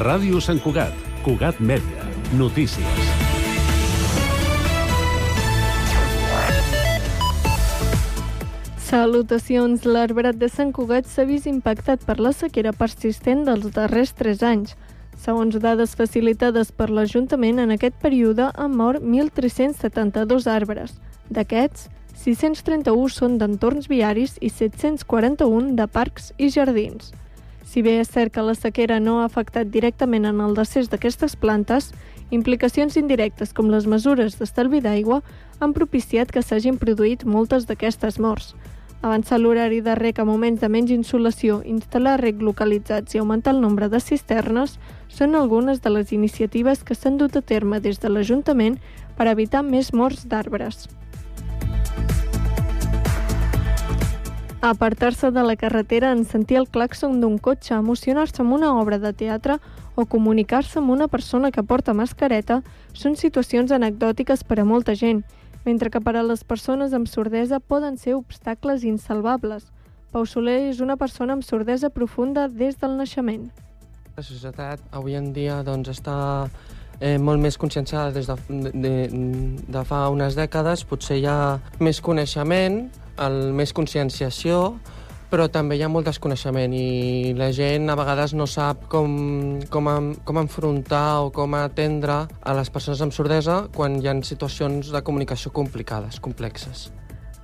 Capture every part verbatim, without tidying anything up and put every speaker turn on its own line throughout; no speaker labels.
Ràdio Sant Cugat, Cugat Mèdia, notícies.
Salutacions. L'arbrat de Sant Cugat s'ha vist impactat per la sequera persistent dels darrers tres anys. Segons dades facilitades per l'Ajuntament, en aquest període han mort mil tres-cents setanta-dos arbres. D'aquests, sis-cents trenta-u són d'entorns viaris i set-cents quaranta-un de parcs i jardins. Si bé és cert que la sequera no ha afectat directament en el decés d'aquestes plantes, implicacions indirectes com les mesures d'estalvi d'aigua han propiciat que s'hagin produït moltes d'aquestes morts. Avançar l'horari de rec a moments de menys insolació, instal·lar rec localitzats i augmentar el nombre de cisternes són algunes de les iniciatives que s'han dut a terme des de l'Ajuntament per evitar més morts d'arbres. Apartar-se de la carretera en sentir el clàxon d'un cotxe, emocionar-se amb una obra de teatre o comunicar-se amb una persona que porta mascareta són situacions anecdòtiques per a molta gent, mentre que per a les persones amb sordesa poden ser obstacles insalvables. Pau Soler és una persona amb sordesa profunda des del naixement.
La societat avui en dia doncs, està eh, molt més conscienciada des de, de, de fa unes dècades. Potser hi ha més coneixement, el, més conscienciació, però també hi ha molt desconeixement i la gent a vegades no sap com, com, com enfrontar o com atendre a les persones amb sordesa quan hi ha situacions de comunicació complicades, complexes.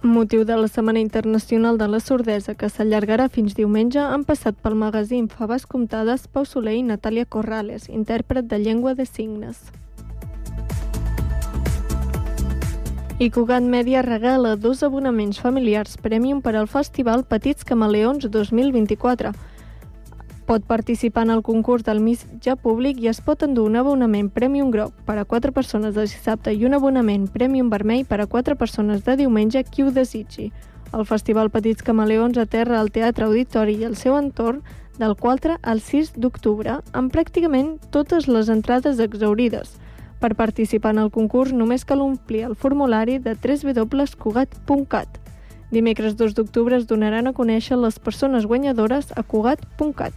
Motiu de la Setmana Internacional de la Sordesa, que s'allargarà fins diumenge, han passat pel magazín Faves Comptades Pau Soler i Natàlia Corrales, intèrpret de llengua de signes. I Cugat Mèdia regala dos abonaments familiars Premium per al Festival Petits Camaleons dos mil vint-i-quatre. Pot participar en el concurs del mitjà públic i es pot endur un abonament Premium groc per a quatre persones de dissabte i un abonament Premium vermell per a quatre persones de diumenge, qui ho desitgi. El Festival Petits Camaleons aterra al Teatre Auditori i el seu entorn del quatre al sis d'octubre, amb pràcticament totes les entrades exhaurides. Per participar en el concurs només cal omplir el formulari de w w w punt cugat punt cat. Dimecres dos d'octubre es donaran a conèixer les persones guanyadores a cugat punt cat.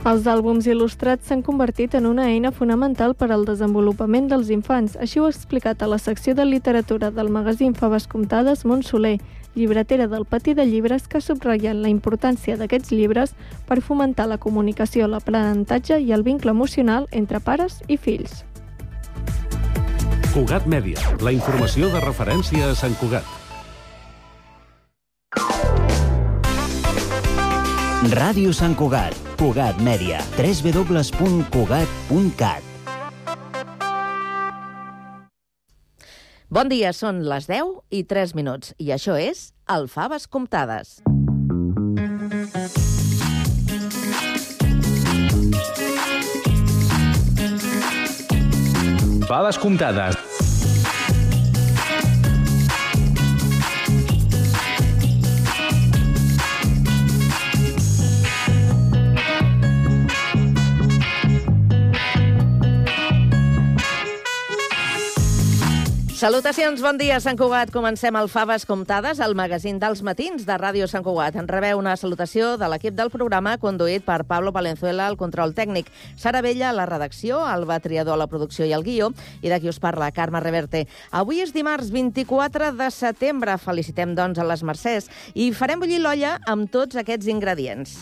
Els àlbums il·lustrats s'han convertit en una eina fonamental per al desenvolupament dels infants. Així ho ha explicat a la secció de literatura del magazín Faves Comptades Montse Soler, llibretera del Patí de Llibres, que ha subratllat la importància d'aquests llibres per fomentar la comunicació, l'aprenentatge i el vincle emocional entre pares i fills.
Cugat Mèdia, la informació de referència a Sant Cugat.
Ràdio Sant Cugat, Cugat Mèdia, w w w punt cugat punt cat.
Bon dia, són les deu i tres minuts i això és el Faves Comptades.
Faves Comptades.
Salutacions, bon dia, Sant Cugat. Comencem el Faves Comptades, el magazín dels matins de Ràdio Sant Cugat. En rebeu una salutació de l'equip del programa, conduït per Pablo Palenzuela, el control tècnic, Sara Bella, a la redacció, Alba Triador, a la producció i el guió, i de qui us parla, Carme Reverte. Avui és dimarts vint-i-quatre de setembre. Felicitem, doncs, a les Mercès i farem bullir l'olla amb tots aquests ingredients.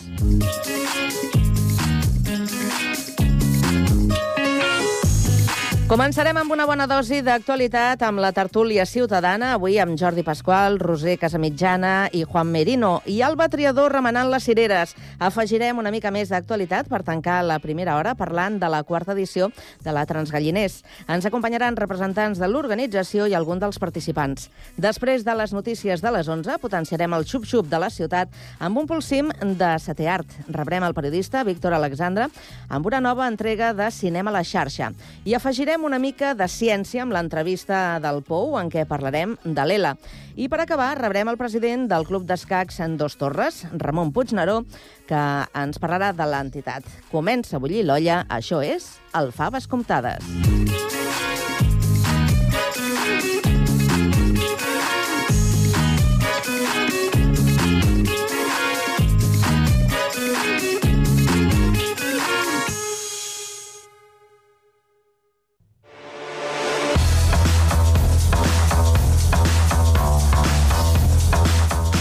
Començarem amb una bona dosi d'actualitat amb la tertúlia ciutadana, avui amb Jordi Pasqual, Roser Casamitjana i Juan Merino, i Alba Triador remenant les cireres. Afegirem una mica més d'actualitat per tancar la primera hora parlant de la quarta edició de la Transgalliners. Ens acompanyaran representants de l'organització i algun dels participants. Després de les notícies de les onze, potenciarem el xup-xup de la ciutat amb un pulsim de setè art. Rebrem el periodista Víctor Alexandre amb una nova entrega de Cinema a la xarxa. I afegirem una mica de ciència amb l'entrevista del Pou, en què parlarem de l'E L A. I per acabar, rebrem el president del Club d'Escacs en Dos Torres, Ramon Puigneró, que ens parlarà de l'entitat. Comença a bullir l'olla, això és el Faves Comptades.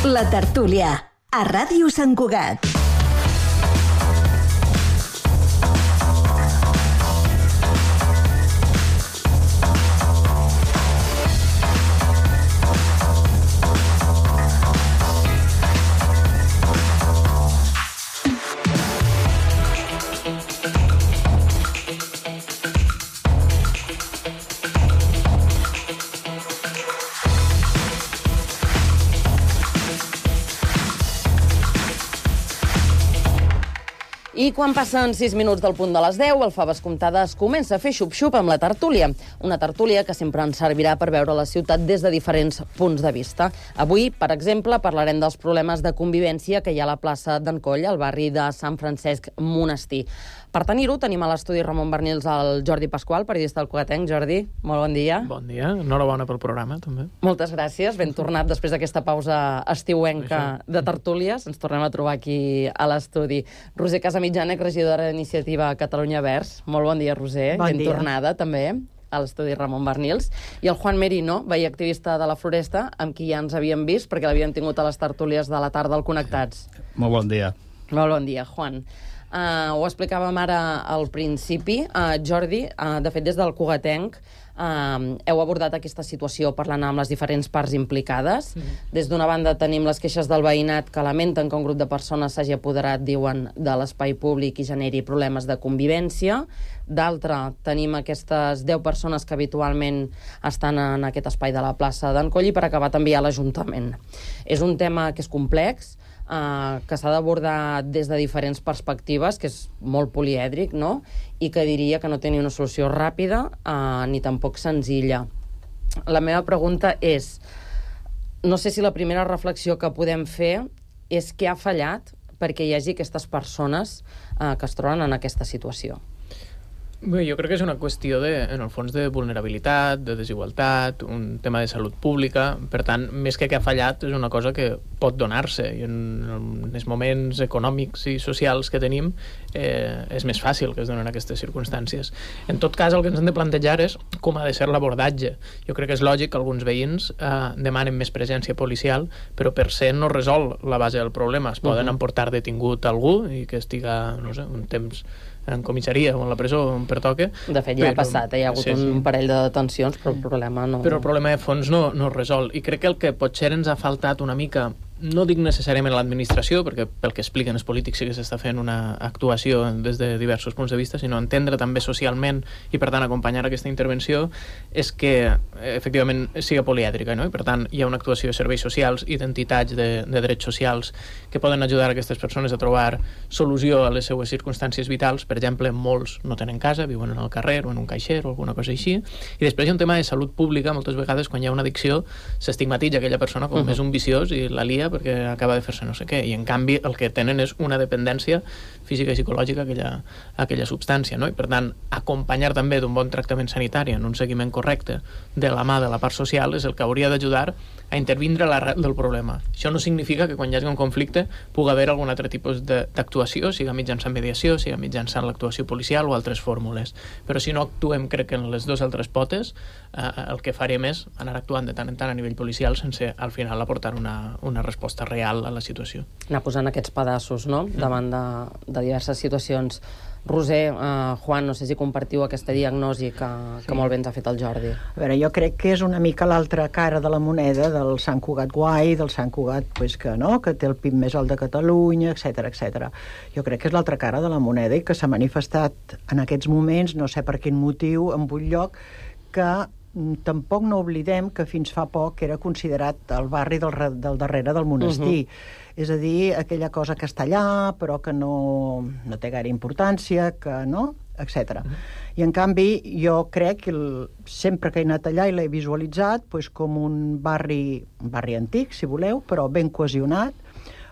La tertúlia, a Ràdio Sant Cugat.
I quan passen sis minuts del punt de les deu, el Faves Comptades comença a fer xup-xup amb la tertúlia. Una tertúlia que sempre ens servirà per veure la ciutat des de diferents punts de vista. Avui, per exemple, parlarem dels problemes de convivència que hi ha a la plaça d'en Coll, al barri de Sant Francesc Monestir. Per tenir-ho, tenim a l'estudi Ramon Bernils el Jordi Pasqual, periodista del Cugatenc. Jordi, molt bon dia.
Bon dia, enhorabona pel programa, també.
Moltes gràcies, ben tornat després d'aquesta pausa estiuenca de tertúlies. Ens tornem a trobar aquí a l'estudi. Roser Casamitjànec, regidora d'Iniciativa Catalunya Verds. Molt bon dia, Roser.
Bon
ben
dia.
tornada, també, a l'estudi Ramon Bernils. I el Juan Merino, veí activista de la Floresta, amb qui ja ens havíem vist, perquè l'havíem tingut a les tertúlies de la tarda al Connectats.
Molt bon dia.
Molt bon dia, Juan. Uh, ho explicàvem ara al principi. Uh, Jordi, uh, de fet, des del Cugatenc uh, heu abordat aquesta situació parlant amb les diferents parts implicades. Mm-hmm. Des d'una banda tenim les queixes del veïnat que lamenten que un grup de persones s'hagi apoderat, diuen, de l'espai públic i generi problemes de convivència. D'altra, tenim aquestes deu persones que habitualment estan en aquest espai de la plaça d'en Coll, i per acabar també hi ha l'Ajuntament. És un tema que és complex, Uh, que s'ha d'abordar des de diferents perspectives, que és molt polièdric, no? I que diria que no té ni una solució ràpida uh, ni tampoc senzilla. La meva pregunta és, no sé si la primera reflexió que podem fer és què ha fallat perquè hi hagi aquestes persones uh, que es troben en aquesta situació.
Bé, jo crec que és una qüestió, de, en el fons, de vulnerabilitat, de desigualtat, un tema de salut pública. Per tant, més que que ha fallat, és una cosa que pot donar-se. I en, en els moments econòmics i socials que tenim eh, és més fàcil que es donen aquestes circumstàncies. En tot cas, el que ens hem de plantejar és com ha de ser l'abordatge. Jo crec que és lògic que alguns veïns eh, demanen més presència policial, però per ser no resol la base del problema. Es poden uh-huh. emportar detingut algú i que estiga, no sé, un temps en comissaria o en la presó on pertoque.
De fet, ja
però,
ha passat, eh? Hi ha hagut sí, sí. un parell de detencions, però el problema no...
Però el problema de fons no, no es resol. I crec que el que potser ens ha faltat una mica, no dic necessàriament a l'administració, perquè pel que expliquen els polítics sí que s'està fent una actuació des de diversos punts de vista, sinó entendre també socialment i, per tant, acompanyar aquesta intervenció, és que, efectivament, siga polièdrica, no? I, per tant, hi ha una actuació de serveis socials i d'entitats de, de drets socials que poden ajudar aquestes persones a trobar solució a les seues circumstàncies vitals. Per exemple, molts no tenen casa, viuen en el carrer o en un caixer o alguna cosa així. I després hi ha un tema de salut pública. Moltes vegades, quan hi ha una addicció, s'estigmatitza aquella persona com uh-huh. és un viciós i la lia perquè acaba de fer-se no sé què, i en canvi el que tenen és una dependència física i psicològica a aquella, a aquella substància, no? I per tant, acompanyar també d'un bon tractament sanitari en un seguiment correcte de la mà de la part social és el que hauria d'ajudar a intervindre a l'arrel del problema. Això no significa que quan hi hagi un conflicte pugui haver algun altre tipus d'actuació, siga mitjançant mediació, siga mitjançant l'actuació policial o altres fórmules. Però si no actuem, crec que en les dues altres potes, eh, el que farem és anar actuant de tant en tant a nivell policial sense al final aportar una, una resposta real a la situació.
Anar posant aquests pedaços, no?, davant de, de diverses situacions. Roser, uh, Juan, no sé si compartiu aquesta diagnosi que, que sí. molt bé ens ha fet el Jordi.
A veure, jo crec que és una mica l'altra cara de la moneda del Sant Cugat guai, del Sant Cugat pues, que, no? que té el P I B més alt de Catalunya, etcètera, etcètera. Jo crec que és l'altra cara de la moneda i que s'ha manifestat en aquests moments, no sé per quin motiu, en un lloc que tampoc no oblidem que fins fa poc era considerat el barri del, del darrere del monestir. Uh-huh. És a dir, aquella cosa que està allà, però que no, no té gaire importància, que no, etcètera. Uh-huh. I en canvi, jo crec que el, sempre que he anat allà i l'he visualitzat pues, com un barri, un barri antic, si voleu, però ben cohesionat,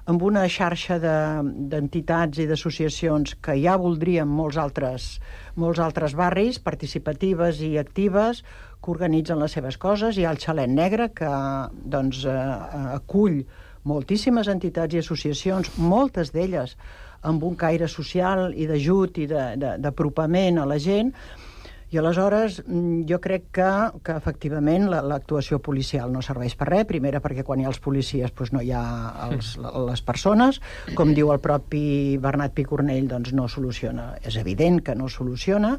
amb una xarxa d'entitats de, i d'associacions que ja voldrien molts altres, molts altres barris, participatives i actives, que organitzen les seves coses. Hi ha el Xalet Negre, que doncs, eh, acull moltíssimes entitats i associacions, moltes d'elles amb un caire social i d'ajut i d'apropament a la gent. I aleshores jo crec que, que efectivament l'actuació policial no serveix per res, primera perquè quan hi ha els policies doncs no hi ha els, les persones, com diu el propi Bernat Picornell, doncs no soluciona, és evident que no soluciona,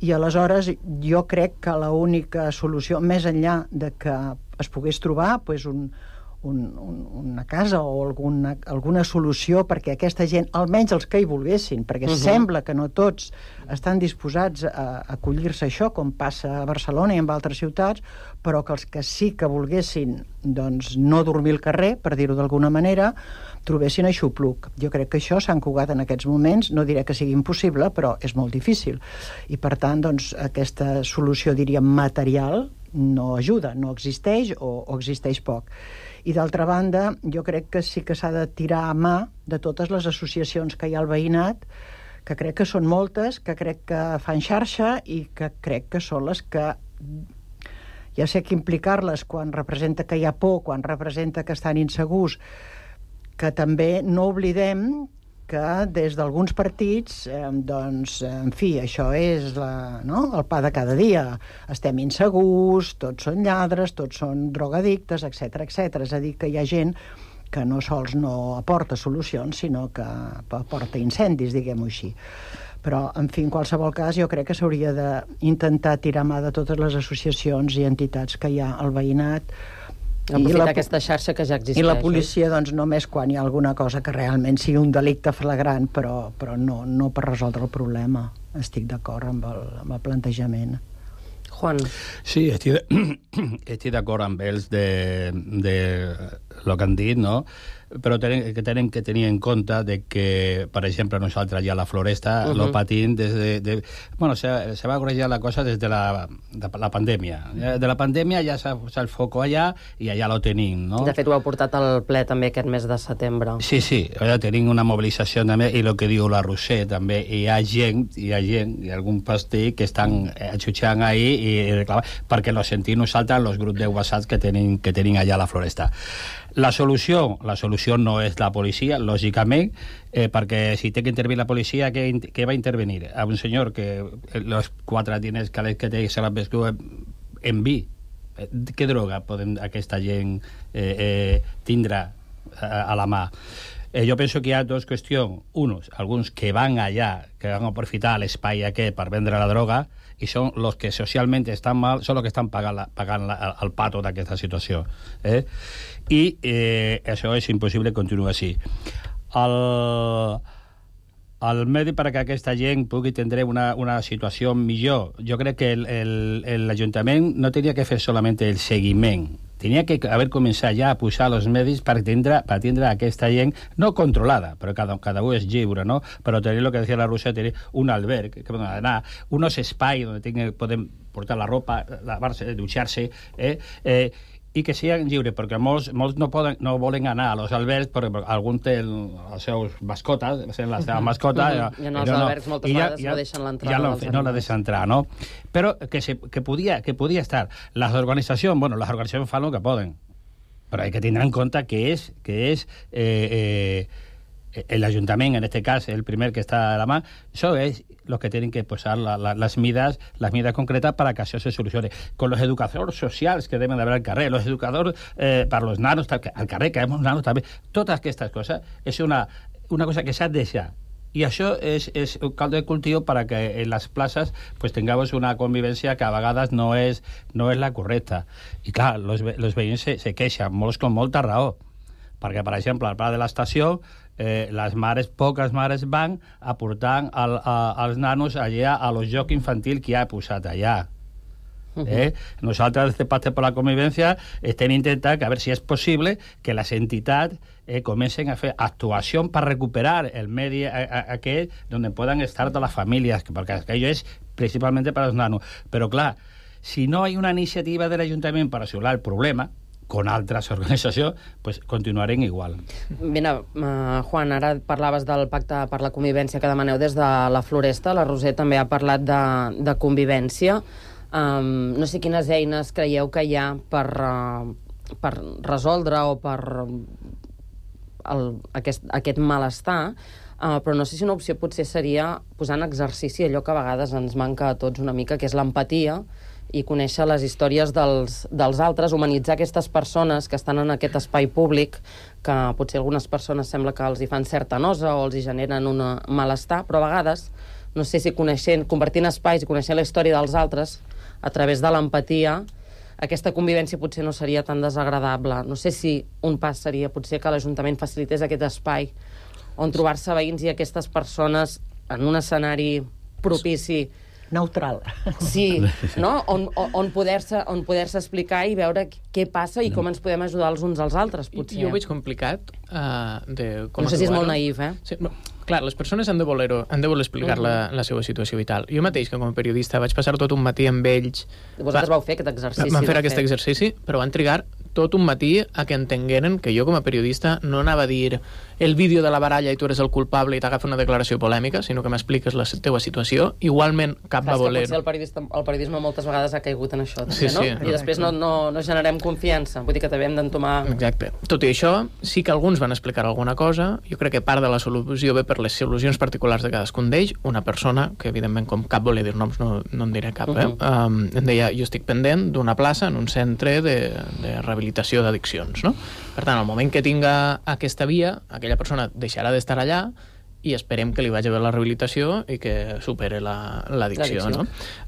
i aleshores jo crec que l'única solució, més enllà de que es pogués trobar doncs un, un, un, una casa o alguna, alguna solució perquè aquesta gent, almenys els que hi volguessin, perquè uh-huh. sembla que no tots estan disposats a acollir-se a això, com passa a Barcelona i en altres ciutats, però que els que sí que volguessin doncs, no dormir al carrer, per dir-ho d'alguna manera, trobessin aixopluc. Jo crec que això a Sant Cugat en aquests moments, no diré que sigui impossible, però és molt difícil. I per tant, doncs, aquesta solució, diríem, material, no ajuda, no existeix o, o existeix poc. I d'altra banda, jo crec que sí que s'ha de tirar a mà de totes les associacions que hi ha al veïnat, que crec que són moltes, que crec que fan xarxa i que crec que són les que ja sé que implicar-les quan representa que hi ha por, quan representa que estan insegurs, que també no oblidem que des d'alguns partits, eh, doncs, en fi, això és la, no? el pa de cada dia. Estem insegurs, tots són lladres, tots són drogadictes, etcètera, etcètera. És a dir, que hi ha gent que no sols no aporta solucions, sinó que aporta incendis, diguem-ho així. Però, en fi, en qualsevol cas, jo crec que s'hauria d'intentar tirar mà de totes les associacions i entitats que hi ha al veïnat,
aprofitar la, aquesta xarxa que ja existeix.
I la policia, doncs, només quan hi ha alguna cosa que realment sigui un delicte flagrant, però, però no, no per resoldre el problema. Estic d'acord amb, el, amb el plantejament.
Juan.
Sí, estic, estic d'acord amb ells de, de lo que han dit, no? Però tenen, que tenen que tenir en compte de que, per exemple, nosaltres ja a la Floresta uh-huh. lo patim des de... de bueno, se, se va corregir la cosa des de la, de la pandèmia. De la pandèmia ja s'ha el foco allà i allà lo tenim, no?
De fet, ho heu portat al ple també aquest mes de setembre.
Sí, sí, allà tenim una mobilització també, i el que diu la Roser també, hi ha gent, hi ha gent, hi ha algun pastí que estan jutjant ahí i reclamant, perquè lo sentim nosaltres, els grups de WhatsApp que tenim, que tenim allà a la Floresta. La solució, la solució no és la policia, lògicament, eh, perquè si té que intervenir la policia, què, què va intervenir? A un senyor que els quatre diners que, que té se l'ha vescut en vi. Què droga podem aquesta gent eh, eh, tindre a, a la mà? Eh, jo penso que hi ha dues qüestions. Uns, alguns que van allà, que van aprofitar l'espai aquest per vendre la droga, i són els que socialment estan mal, són els que estan pagant, la, pagant la, el pato d'aquesta situació. Eh? I eh, això és impossible continuar així. El, el medi perquè aquesta gent pugui tindre una, una situació millor, jo crec que l'Ajuntament no tenia que fer solament el seguiment, tenia que haver començat ja a posar els medis per tindre, per tindre aquesta gent no controlada, però cada, cada un és lliure, no? Però tenir el que deia la Rosa, tenir un alberg que poden anar, unos espais on poden portar la ropa, lavar-se, dutxar-se, eh? eh i que siguin lliures, perquè molts, molts no, poden, no volen anar a los albergs perquè algun té el, els seus mascotes, la seva mascota...
Uh -huh. I en els albergs no, moltes vegades ja, no deixen l'entrada.
Ja no, no la deixen entrar, no? Però que, se, que, podia, que podia estar. Les organitzacions, bueno, les organitzacions fan el que poden, però hay que tindre en compte que és, que és eh, eh, l'Ajuntament, en aquest cas, el primer que està a la mà, això és los que tienen que posar la, la, las medidas las medidas concretas para que eso se solucione. Con los educadores sociales que deben de haber al carrer, los educadores eh, para los nanos al carrer, que hemos nanos també, totes aquestes coses, és una, una cosa que s'ha de deixar. I això és, és un caldo de cultiu para que en les places pues, tengamos una convivència que a vegades no és, no és la correcta. I clar, los, los veïns se, se queixen, molts con molta raó, perquè, per exemple, al pla de l'estació Eh, les mares, poques mares van a portar el, a, als nanos allà a los jocs infantils que ha posat allà. Eh? Nosaltres, des de Pacte per la Convivència, estem intentant que a veure si és possible que les entitats eh, comencen a fer actuació per recuperar el medi aquest on poden estar totes les famílies, perquè aquello és principalment per als nanos. Però, clar, si no hi ha una iniciativa de l'Ajuntament per solucionar el problema, con altres organitzacions, pues continuarem igual.
Mira, uh, Juan, ara parlaves del pacte per la convivència que demaneu des de la Floresta. La Roser també ha parlat de, de convivència. Um, no sé quines eines creieu que hi ha per, uh, per resoldre o per el, aquest, aquest malestar.
Uh, però no sé si una opció potser seria posar en exercici allò que a vegades ens manca a tots una mica, que és l'empatia, i conèixer les històries dels, dels altres, humanitzar aquestes persones que estan en aquest espai públic, que potser algunes persones sembla que els hi fan certa nosa o els hi generen un malestar, però a vegades, no sé si coneixent, convertint espais i coneixent la història dels altres, a través de l'empatia, aquesta convivència potser no seria tan desagradable. No sé si un pas seria potser que l'Ajuntament facilités aquest espai on trobar-se veïns i aquestes persones en un escenari propici,
neutral.
Sí, no? On, on poder-se on poder-se explicar i veure què passa i com ens podem ajudar els uns als altres, potser.
Jo ho veig complicat. Uh, de com
no sé si és molt naïf, eh?
Sí, no. Clar, les persones han de voler, han de voler explicar uh -huh. la, la seva situació vital. Jo mateix, que com a periodista vaig passar tot un matí amb ells...
Vosaltres va, vau fer aquest exercici.
Vam fer aquest fet. exercici, però van trigar tot un matí a que entengueren que jo com a periodista no anava a dir el vídeo de la baralla i tu eres el culpable i t'agafa una declaració polèmica, sinó que m'expliques la teua situació. Igualment, cap
Clar,
va voler...
Potser el, periodista, el periodisme moltes vegades ha caigut en això, també,
sí, sí.
no? I després no, no, no generem confiança. Vull dir que també hem d'entomar...
Exacte. Tot i això, sí que alguns van explicar alguna cosa. Jo crec que part de la solució ve per les solucions particulars de cadascun d'ells. Una persona, que evidentment com cap volia dir noms, no, no en diré cap, eh? Uh -huh. um, em deia, jo estic pendent d'una plaça en un centre de, de rehabilitació d'addiccions, no? Per tant, al moment que tinga aquesta via, aquella persona deixarà d'estar allà i esperem que li vagi bé la rehabilitació i que supere l'addicció, la, no?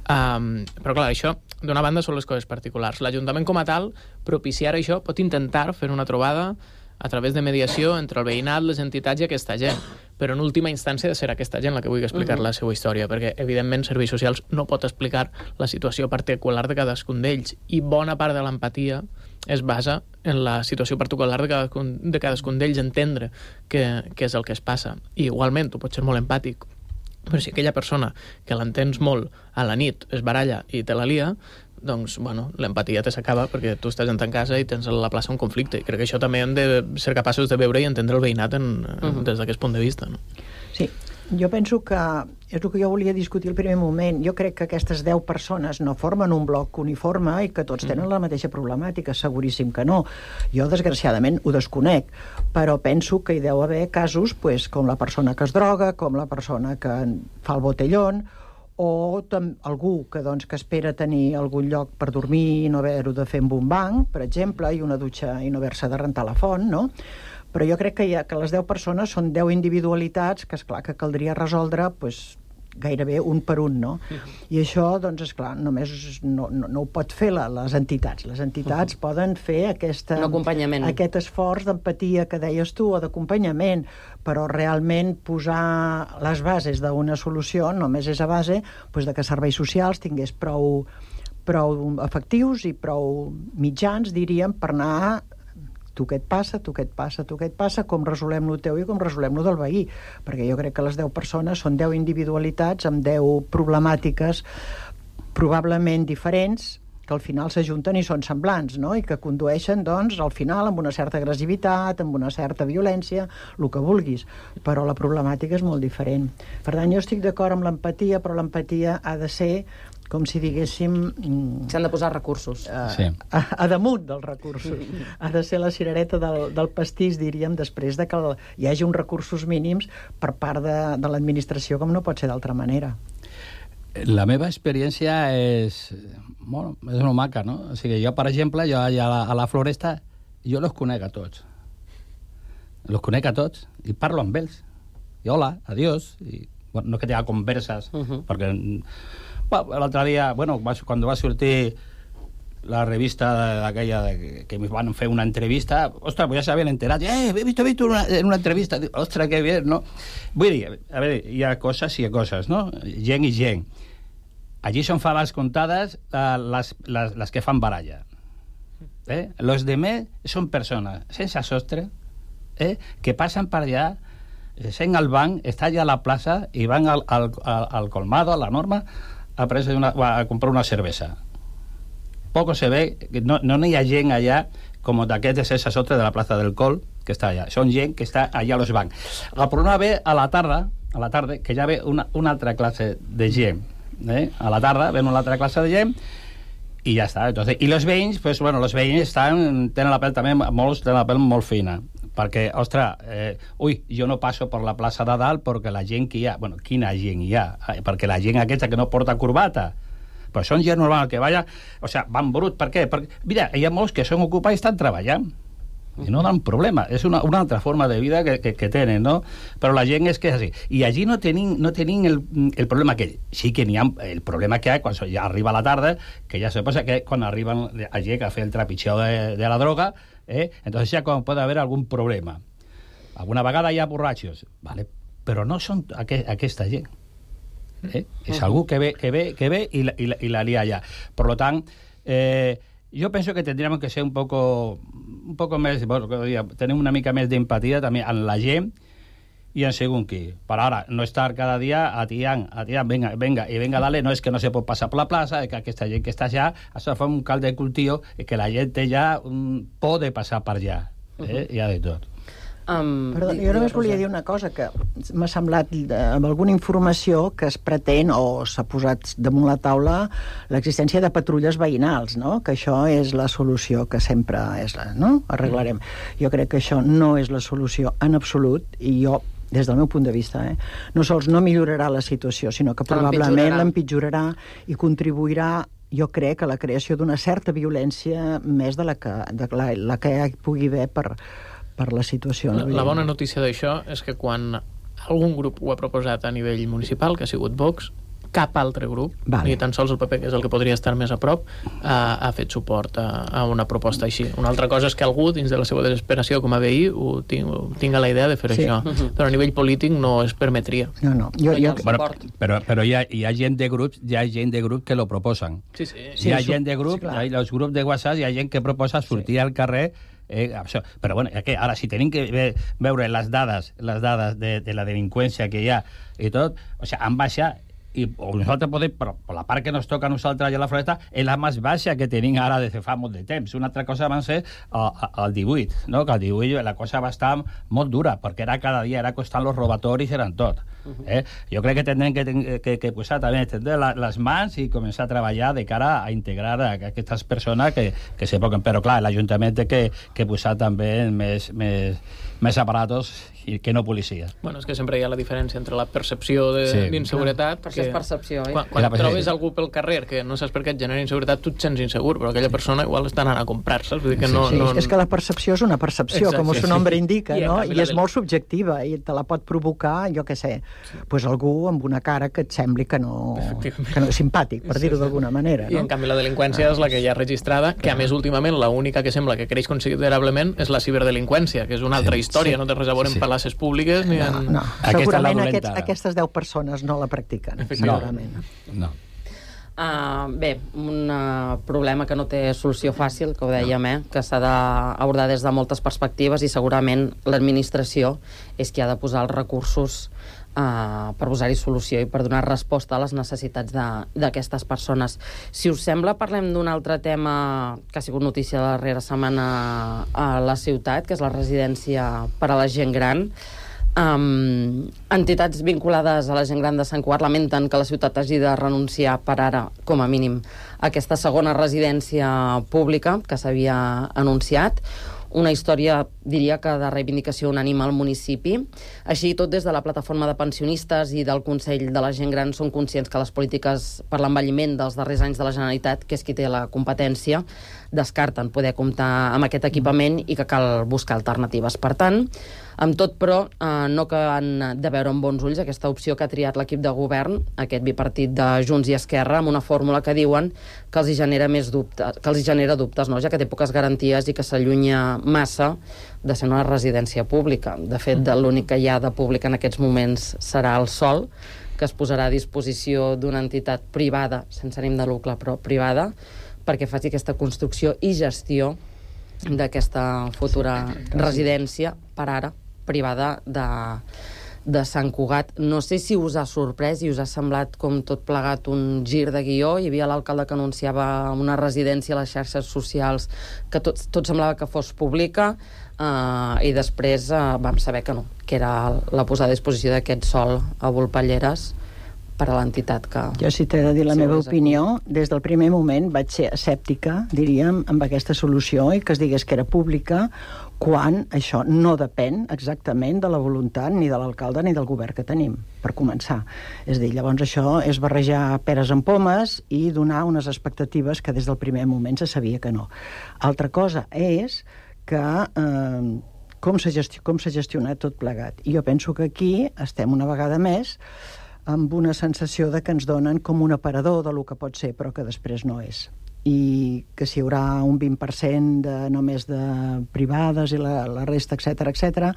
Um, però clar, això, d'una banda, són les coses particulars. L'Ajuntament com a tal, propiciar això, pot intentar fer una trobada a través de mediació entre el veïnat, les entitats i aquesta gent. Però en última instància de ser aquesta gent la que vulgui explicar uh-huh. la seva història, perquè evidentment Serveis Socials no pot explicar la situació particular de cadascun d'ells, i bona part de l'empatia es basa en la situació particular de cadascun, de cadascun d'ells, entendre què, què és el que es passa. I igualment, tu pots ser molt empàtic, però si aquella persona que l'entens molt a la nit es baralla i te la lia, doncs, bueno, l'empatia te s'acaba perquè tu estàs en ta casa i tens a la plaça un conflicte. I crec que això també hem de ser capaços de veure i entendre el veïnat en, uh-huh. des d'aquest punt de vista, no?
Sí, jo penso que és el que jo volia discutir al primer moment. Jo crec que aquestes deu persones no formen un bloc uniforme i que tots tenen la mateixa problemàtica, seguríssim que no. Jo, desgraciadament, ho desconec, però penso que hi deu haver casos, pues, com la persona que es droga, com la persona que fa el botellón, o algú que, doncs, que espera tenir algun lloc per dormir i no haver-ho de fer amb un banc, per exemple, i una dutxa i no haver-se de rentar la font, no? Però jo crec que, hi ha, que les deu persones són deu individualitats que, esclar, que caldria resoldre, pues, gairebé un per un, no? Uh-huh. I això, doncs, esclar, només no, no, no ho pot fer la, les entitats. Les entitats uh-huh. poden fer aquesta, aquest esforç d'empatia que deies tu, o d'acompanyament, però realment posar les bases d'una solució només és a base, doncs, de que serveis socials tingués prou, prou efectius i prou mitjans, diríem, per anar tu què et passa, tu què et passa, tu què et passa, com resolem lo teu i com resolem lo del veí. Perquè jo crec que les deu persones són deu individualitats amb deu problemàtiques probablement diferents, que al final s'ajunten i són semblants, no? I que condueixen, doncs, al final amb una certa agressivitat, amb una certa violència, el que vulguis. Però la problemàtica és molt diferent. Per tant, jo estic d'acord amb l'empatia, però l'empatia ha de ser, com si diguéssim...
S'han de posar recursos.
A, sí. a, a damunt dels recursos. Ha de ser la cirereta del, del pastís, diríem, després de que el, hi hagi uns recursos mínims per part de, de l'administració, com no pot ser d'altra manera.
La meva experiència és... Bueno, és una maca, no? O sigui, jo, per exemple, jo a la, a la Floresta, jo los conec a tots. Los conec a tots i parlo amb ells. I hola, adiós. I, bueno, no que tinga converses, uh-huh. perquè... Bueno, l'altre dia, bueno, quan va sortir la revista d'aquella de, que me van fer una entrevista, ostres, pues ja s'havien enterat, eh, he visto, he visto una, en una entrevista, ostres, que bien, no? Vull dir, a veure, hi ha coses i hi ha coses, no? Gent i gent. Allí són faves comptades uh, les, les, les que fan baralla. Eh? Los demés són persones sense sostre, eh? que passen per allà, sent al banc, està allà a la plaça i van al, al, al, al colmado, a la Norma, a, una, a comprar una cervesa. Poco se ve, no, no hi ha gent allà com d'aquest de sense sostre de la plaça del Col, que està allà. Són gent que està allà a los bancs. El problema ve a la tarda, a la tarda que ja ve una, una altra classe de gent. Eh? A la tarda ven una altra classe de gent i ja està. Entonces, i els veïns, pues, bueno, els veïns estan, tenen la pell també, molts tenen la pell molt fina. perquè, ostres, eh, ui, jo no passo per la plaça de dalt perquè la gent que hi ha... Bueno, quina gent hi ha? Perquè la gent aquesta que no porta corbata, però són gent normal que vaya... O sigui, van brut, per què? Perquè, mira, hi ha molts que són ocupats i estan treballant. I no dan problema. És una, una altra forma de vida que, que, que tenen, no? Però la gent és que és així. I allí no tenim, no tenim el, el problema que... Sí que n'hi ha... El problema que hi ha quan ja arriba la tarda, que ja se passa que quan arriben allí a fer el trepitjeu de, de la droga, eh? Entonces ja quan pot haver algun problema. Alguna vegada hi ha borratxos, vale? Però no són aqu aquesta gent. Eh? És algú que ve, que ve, que ve i, la, i, la, i la lia allà. Per tant, eh, yo pienso que tendríamos que ser un poco un poco más, bueno, tener una mica més d'empatia també en la gent i en segon qui. Per ara, no estar cada dia atiant, atiant, venga, venga, i venga, dale, no és que no se pot passar per la plaça, que aquesta gent que està allà, això fa un cal de cultiu i que la gent ja um, pot passar per allà. Eh? Hi ha de tot.
Um, Perdó, jo només volia dir una cosa que m'ha semblat amb alguna informació que es pretén o s'ha posat damunt la taula l'existència de patrulles veïnals, no? Que això és la solució que sempre és, no? Arreglarem. Jo crec que això no és la solució en absolut i jo des del meu punt de vista, eh? No sols no millorarà la situació, sinó que probablement l'empitjorarà i contribuirà, jo crec, a la creació d'una certa violència més de la que, de la, la que hi pugui haver per per la situació.
La, la bona notícia d'això és que quan algun grup ho ha proposat a nivell municipal, que ha sigut Vox, cap altre grup, vale. Ni tan sols el P P, que és el que podria estar més a prop, ha, ha fet suport a, a una proposta així. Una altra cosa és que algú, dins de la seva desesperació com a veí, ho ting, tinga la idea de fer sí. això. Uh -huh. Però a nivell polític no es permetria.
No, no. Jo, jo...
Bueno, però però hi, ha, hi ha gent de grups, hi ha gent de grup que lo proposen.
Sí, sí.
Hi ha sí, gent de grup, sí, hi ha els grups de WhatsApp, hi ha gent que proposa sortir sí. al carrer. Eh, això. Però bueno, que ara si tenim que ve, veure les dades les dades de, de la delinqüència que hi ha i tot, o sigui, han baixat i o nosaltres podem, però per la part que nos toca a nosaltres allà a la Floresta, és la més baixa que tenim ara des de fa molt de temps. Una altra cosa va ser el divuit, no? Que el divuit la cosa va estar molt dura, perquè era cada dia, era costant els robatoris, eren tot. Eh? Jo crec que tindrem que, que, que posar també la, les mans i començar a treballar de cara a integrar a aquestes persones que, que se poden. Però clar, l'Ajuntament té que, que posar també més, més, més aparatos i que no policia.
Bueno, és que sempre hi ha la diferència entre la percepció d'inseguretat...
Sí. Perquè és percepció, eh?
Quan, quan trobes algú pel carrer que no saps per què et genera inseguretat, tu et sents insegur, però aquella persona igual està anant a comprar-se. Vull dir que no,
sí, sí.
no...
És que la percepció és una percepció, exacte, com el seu nombre indica, sí, no? I és molt subjectiva, i te la pot provocar, jo què sé, sí. pues algú amb una cara que et sembli que no, que no és simpàtic, per dir-ho sí, sí. d'alguna manera.
I
no?
en canvi la delinqüència ah, és la que ja ha registrada, que a més últimament l'única que sembla que creix considerablement és la ciberdelinqüència, que és una altra sí, història, sí. no té res a veure sí. en places públiques ni en...
No, no. Segurament aquests, aquestes deu persones no la practiquen, segurament.
No.
Uh, bé, un uh, problema que no té solució fàcil, que ho dèiem, eh? Que s'ha d'abordar des de moltes perspectives i segurament l'administració és qui ha de posar els recursos uh, per posar-hi solució i per donar resposta a les necessitats d'aquestes persones. Si us sembla, parlem d'un altre tema que ha sigut notícia la darrera setmana a la ciutat, que és la residència per a la gent gran. Um, entitats vinculades a la gent gran de Sant Cugat lamenten que la ciutat hagi de renunciar per ara, com a mínim, a aquesta segona residència pública que s'havia anunciat. Una història, diria que de reivindicació unànime al municipi. Així i tot, des de la plataforma de pensionistes i del Consell de la Gent Gran són conscients que les polítiques per l'envelliment dels darrers anys de la Generalitat, que és qui té la competència, descarten poder comptar amb aquest equipament i que cal buscar alternatives. Per tant, amb tot, però, eh, no que han de veure amb bons ulls aquesta opció que ha triat l'equip de govern, aquest bipartit de Junts i Esquerra, amb una fórmula que diuen que els hi genera més dubtes, que els hi genera dubtes, no? Ja que té poques garanties i que s'allunya massa de ser una residència pública. De fet, l'únic que hi ha de públic en aquests moments serà el sòl, que es posarà a disposició d'una entitat privada, sense ànim de lucre, però privada, perquè faci aquesta construcció i gestió d'aquesta futura residència, per ara, privada de, de Sant Cugat. No sé si us ha sorprès i us ha semblat com tot plegat un gir de guió. Hi havia l'alcalde que anunciava una residència a les xarxes socials que tot, tot semblava que fos pública, uh, i després uh, vam saber que no, que era la posada a disposició d'aquest sòl a Volpelleres per a l'entitat que...
Jo, si t'he de dir la meva opinió, des del primer moment vaig ser escèptica, diríem, amb aquesta solució i que es digués que era pública, quan això no depèn exactament de la voluntat ni de l'alcalde ni del govern que tenim, per començar. És a dir, llavors això és barrejar peres amb pomes i donar unes expectatives que des del primer moment se sabia que no. Altra cosa és que... Eh, com s'ha gesti- com s'ha gestionat tot plegat. I jo penso que aquí estem una vegada més amb una sensació de que ens donen com un aparador de lo que pot ser, però que després no és. I que si hi haurà un vint per cent de, només de privades i la, la resta, etcètera, etcètera,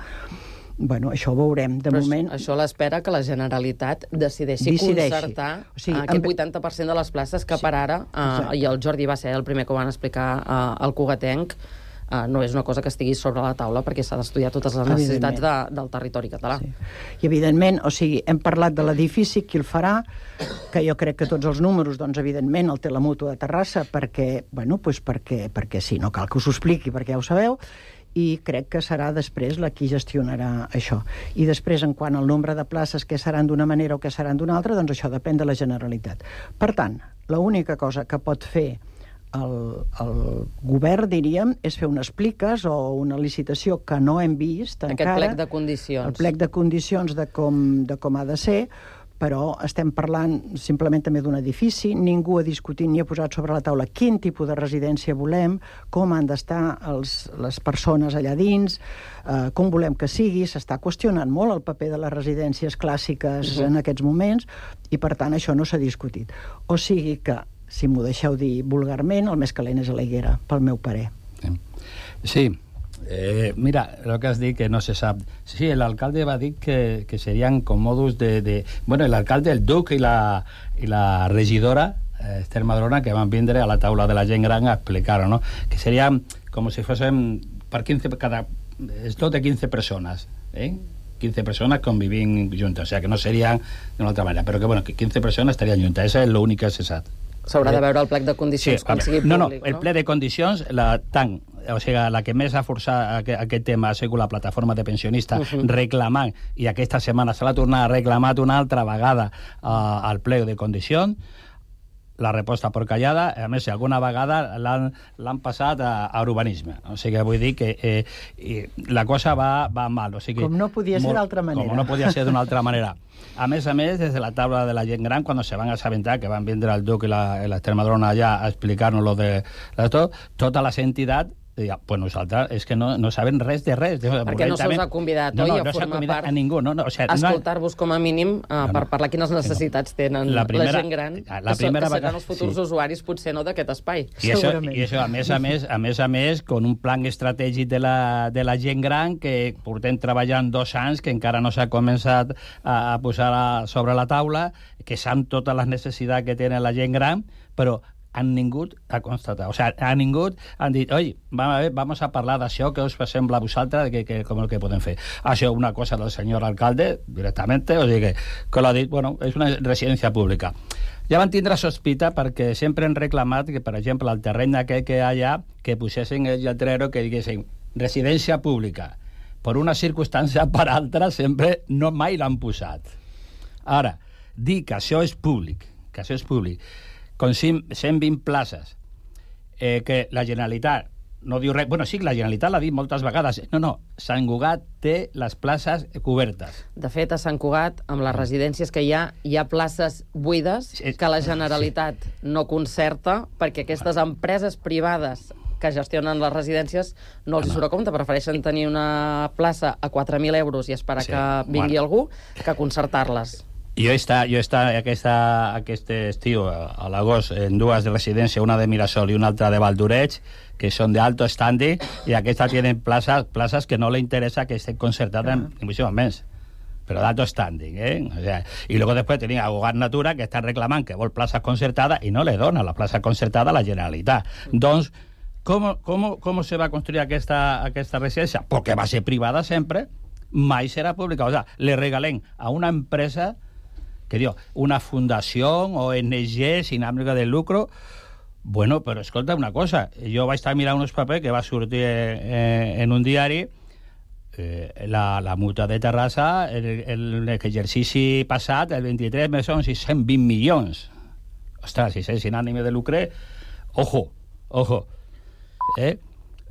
bueno, això ho veurem. De
però
moment...
Això l'espera que la Generalitat decideixi, decideixi. concertar o sigui, aquest vuitanta per cent de les places que sí, per ara, uh, i el Jordi va ser el primer que ho van explicar uh, al Cugatenc, Uh, no és una cosa que estigui sobre la taula perquè s'ha d'estudiar totes les necessitats de, del territori català.
Sí. I evidentment, o sigui, hem parlat de l'edifici, qui el farà, que jo crec que tots els números, doncs evidentment el té la Mútua de Terrassa perquè, bueno, pues perquè, perquè sí, no cal que us ho expliqui perquè ja ho sabeu, i crec que serà després la qui gestionarà això. I després, en quant al nombre de places que seran d'una manera o que seran d'una altra, doncs això depèn de la Generalitat. Per tant, l'única cosa que pot fer El, el govern, diríem, és fer unes pliques o una licitació que no hem vist
Aquest
encara.
Aquest plec de condicions.
El plec de condicions de com, de com ha de ser, però estem parlant simplement també d'un edifici, ningú ha discutit ni ha posat sobre la taula quin tipus de residència volem, com han d'estar els, les persones allà dins, eh, com volem que sigui, s'està qüestionant molt el paper de les residències clàssiques uh-huh. en aquests moments, i per tant això no s'ha discutit. O sigui que si m'ho deixeu dir vulgarment, el més calent és a la higuera, pel meu parer.
Sí, eh, mira, lo que has dit que no se sap. Sí, el alcalde va dir que, que serían con modus de, de... Bueno, el alcalde, el duc i la, i la regidora, eh, Esther Madrona, que van vindre a la taula de la gent gran a explicar-ho, ¿no? Que serían como si fuesen per quinze, cada... És tot de quinze persones, eh? quinze persones convivint juntes, o sea, que no serien d'una altra manera, però que, bueno, que quinze persones estarien juntes, això és l'únic que se sap.
S'haurà de veure el plec de condicions
sí,
quan sigui públic,
no? No,
no?
el plec de condicions, la, tant, o sigui, la que més ha forçat aquest, aquest tema ha sigut la plataforma de pensionistes uh-huh. reclamant, i aquesta setmana se l'ha tornat a reclamar una altra vegada uh, al plec de condicions. La resposta per callada, a més, alguna vegada l'han passat a, a urbanisme. O sigui, vull dir que eh, la cosa va, va mal. O sigui,
com no podia ser d'altra manera.
Com no podia ser d'una altra manera. A més a més, des de la taula de la gent gran, quan se van assabentar que van vindre el duc i l'Esther Madrona allà a explicar-nos lo de, de tot, totes les entitats ja, pues nosaltres és que no, no saben res de res.
Perquè no se'ls ha convidat,
no,
oi,
no,
a
no
formar part?
A ningú, no, no, o sigui,
escoltar-vos com a mínim uh,
no, no,
per parlar quines necessitats tenen la, primera, la gent gran,
la
que,
primera
que seran
vaca...
els futurs sí. usuaris, potser no, d'aquest espai.
I això, I això, a més a més, a més a més, con un plan estratègic de la, de la gent gran que portem treballant dos anys, que encara no s'ha començat a, a posar a, sobre la taula, que sap totes les necessitats que tenen la gent gran, però han vingut a constatar. O sigui, han vingut, han dit, oi, vamos a parlar d'això que us sembla a vosaltres, que, que, com el que podem fer. Això una cosa del senyor alcalde, directament, o sigui que, que l'ha dit, bueno, és una residència pública. Ja van tindre sospita perquè sempre han reclamat que, per exemple, el terreny aquell que hi ha allà, que posessin el lletrero que diguessin residència pública. Per una circumstància per altra, sempre no mai l'han posat. Ara, dir que això és públic, que això és públic, con cent vint places, eh, que la Generalitat no diu res... Bueno, sí, la Generalitat l'ha dit moltes vegades. No, no, Sant Cugat té les places cobertes.
De fet, a Sant Cugat, amb les residències que hi ha, hi ha places buides que la Generalitat sí. no concerta perquè aquestes empreses privades que gestionen les residències no els no. surt a compte, prefereixen tenir una plaça a quatre mil euros i esperar sí. que vingui bueno. algú que concertar-les.
Jo he estat, jo he estat aquesta, aquest estiu, a l'agost, en dues de residència, una de Mirasol i una altra de Valdoreig, que són d'alto standing, i aquesta tenen places, places que no li interessa que estén concertades uh-huh. en muchísimo més. Però d'alto standing, ¿eh? O sea, y luego después tenía a Hogar Natura, que están reclamando que vol plazas concertadas y no le dona la plaza concertada a la Generalitat. Uh-huh. Doncs, com, com, com se va construir aquesta, aquesta residència? Perquè va ser privada sempre, mai serà pública. O sea, le regalen a una empresa que diu, una fundació o O N G sin ánimo de lucro. Bueno, però escolta una cosa, jo vaig estar mirant uns papers que va sortir eh, en un diari eh, la, la mútua de Terrassa, el, l'exercici passat, el vint-i-tres, més són sis cents vint milions. Ostres, si és sin ànime de lucre, ojo, ojo. Eh?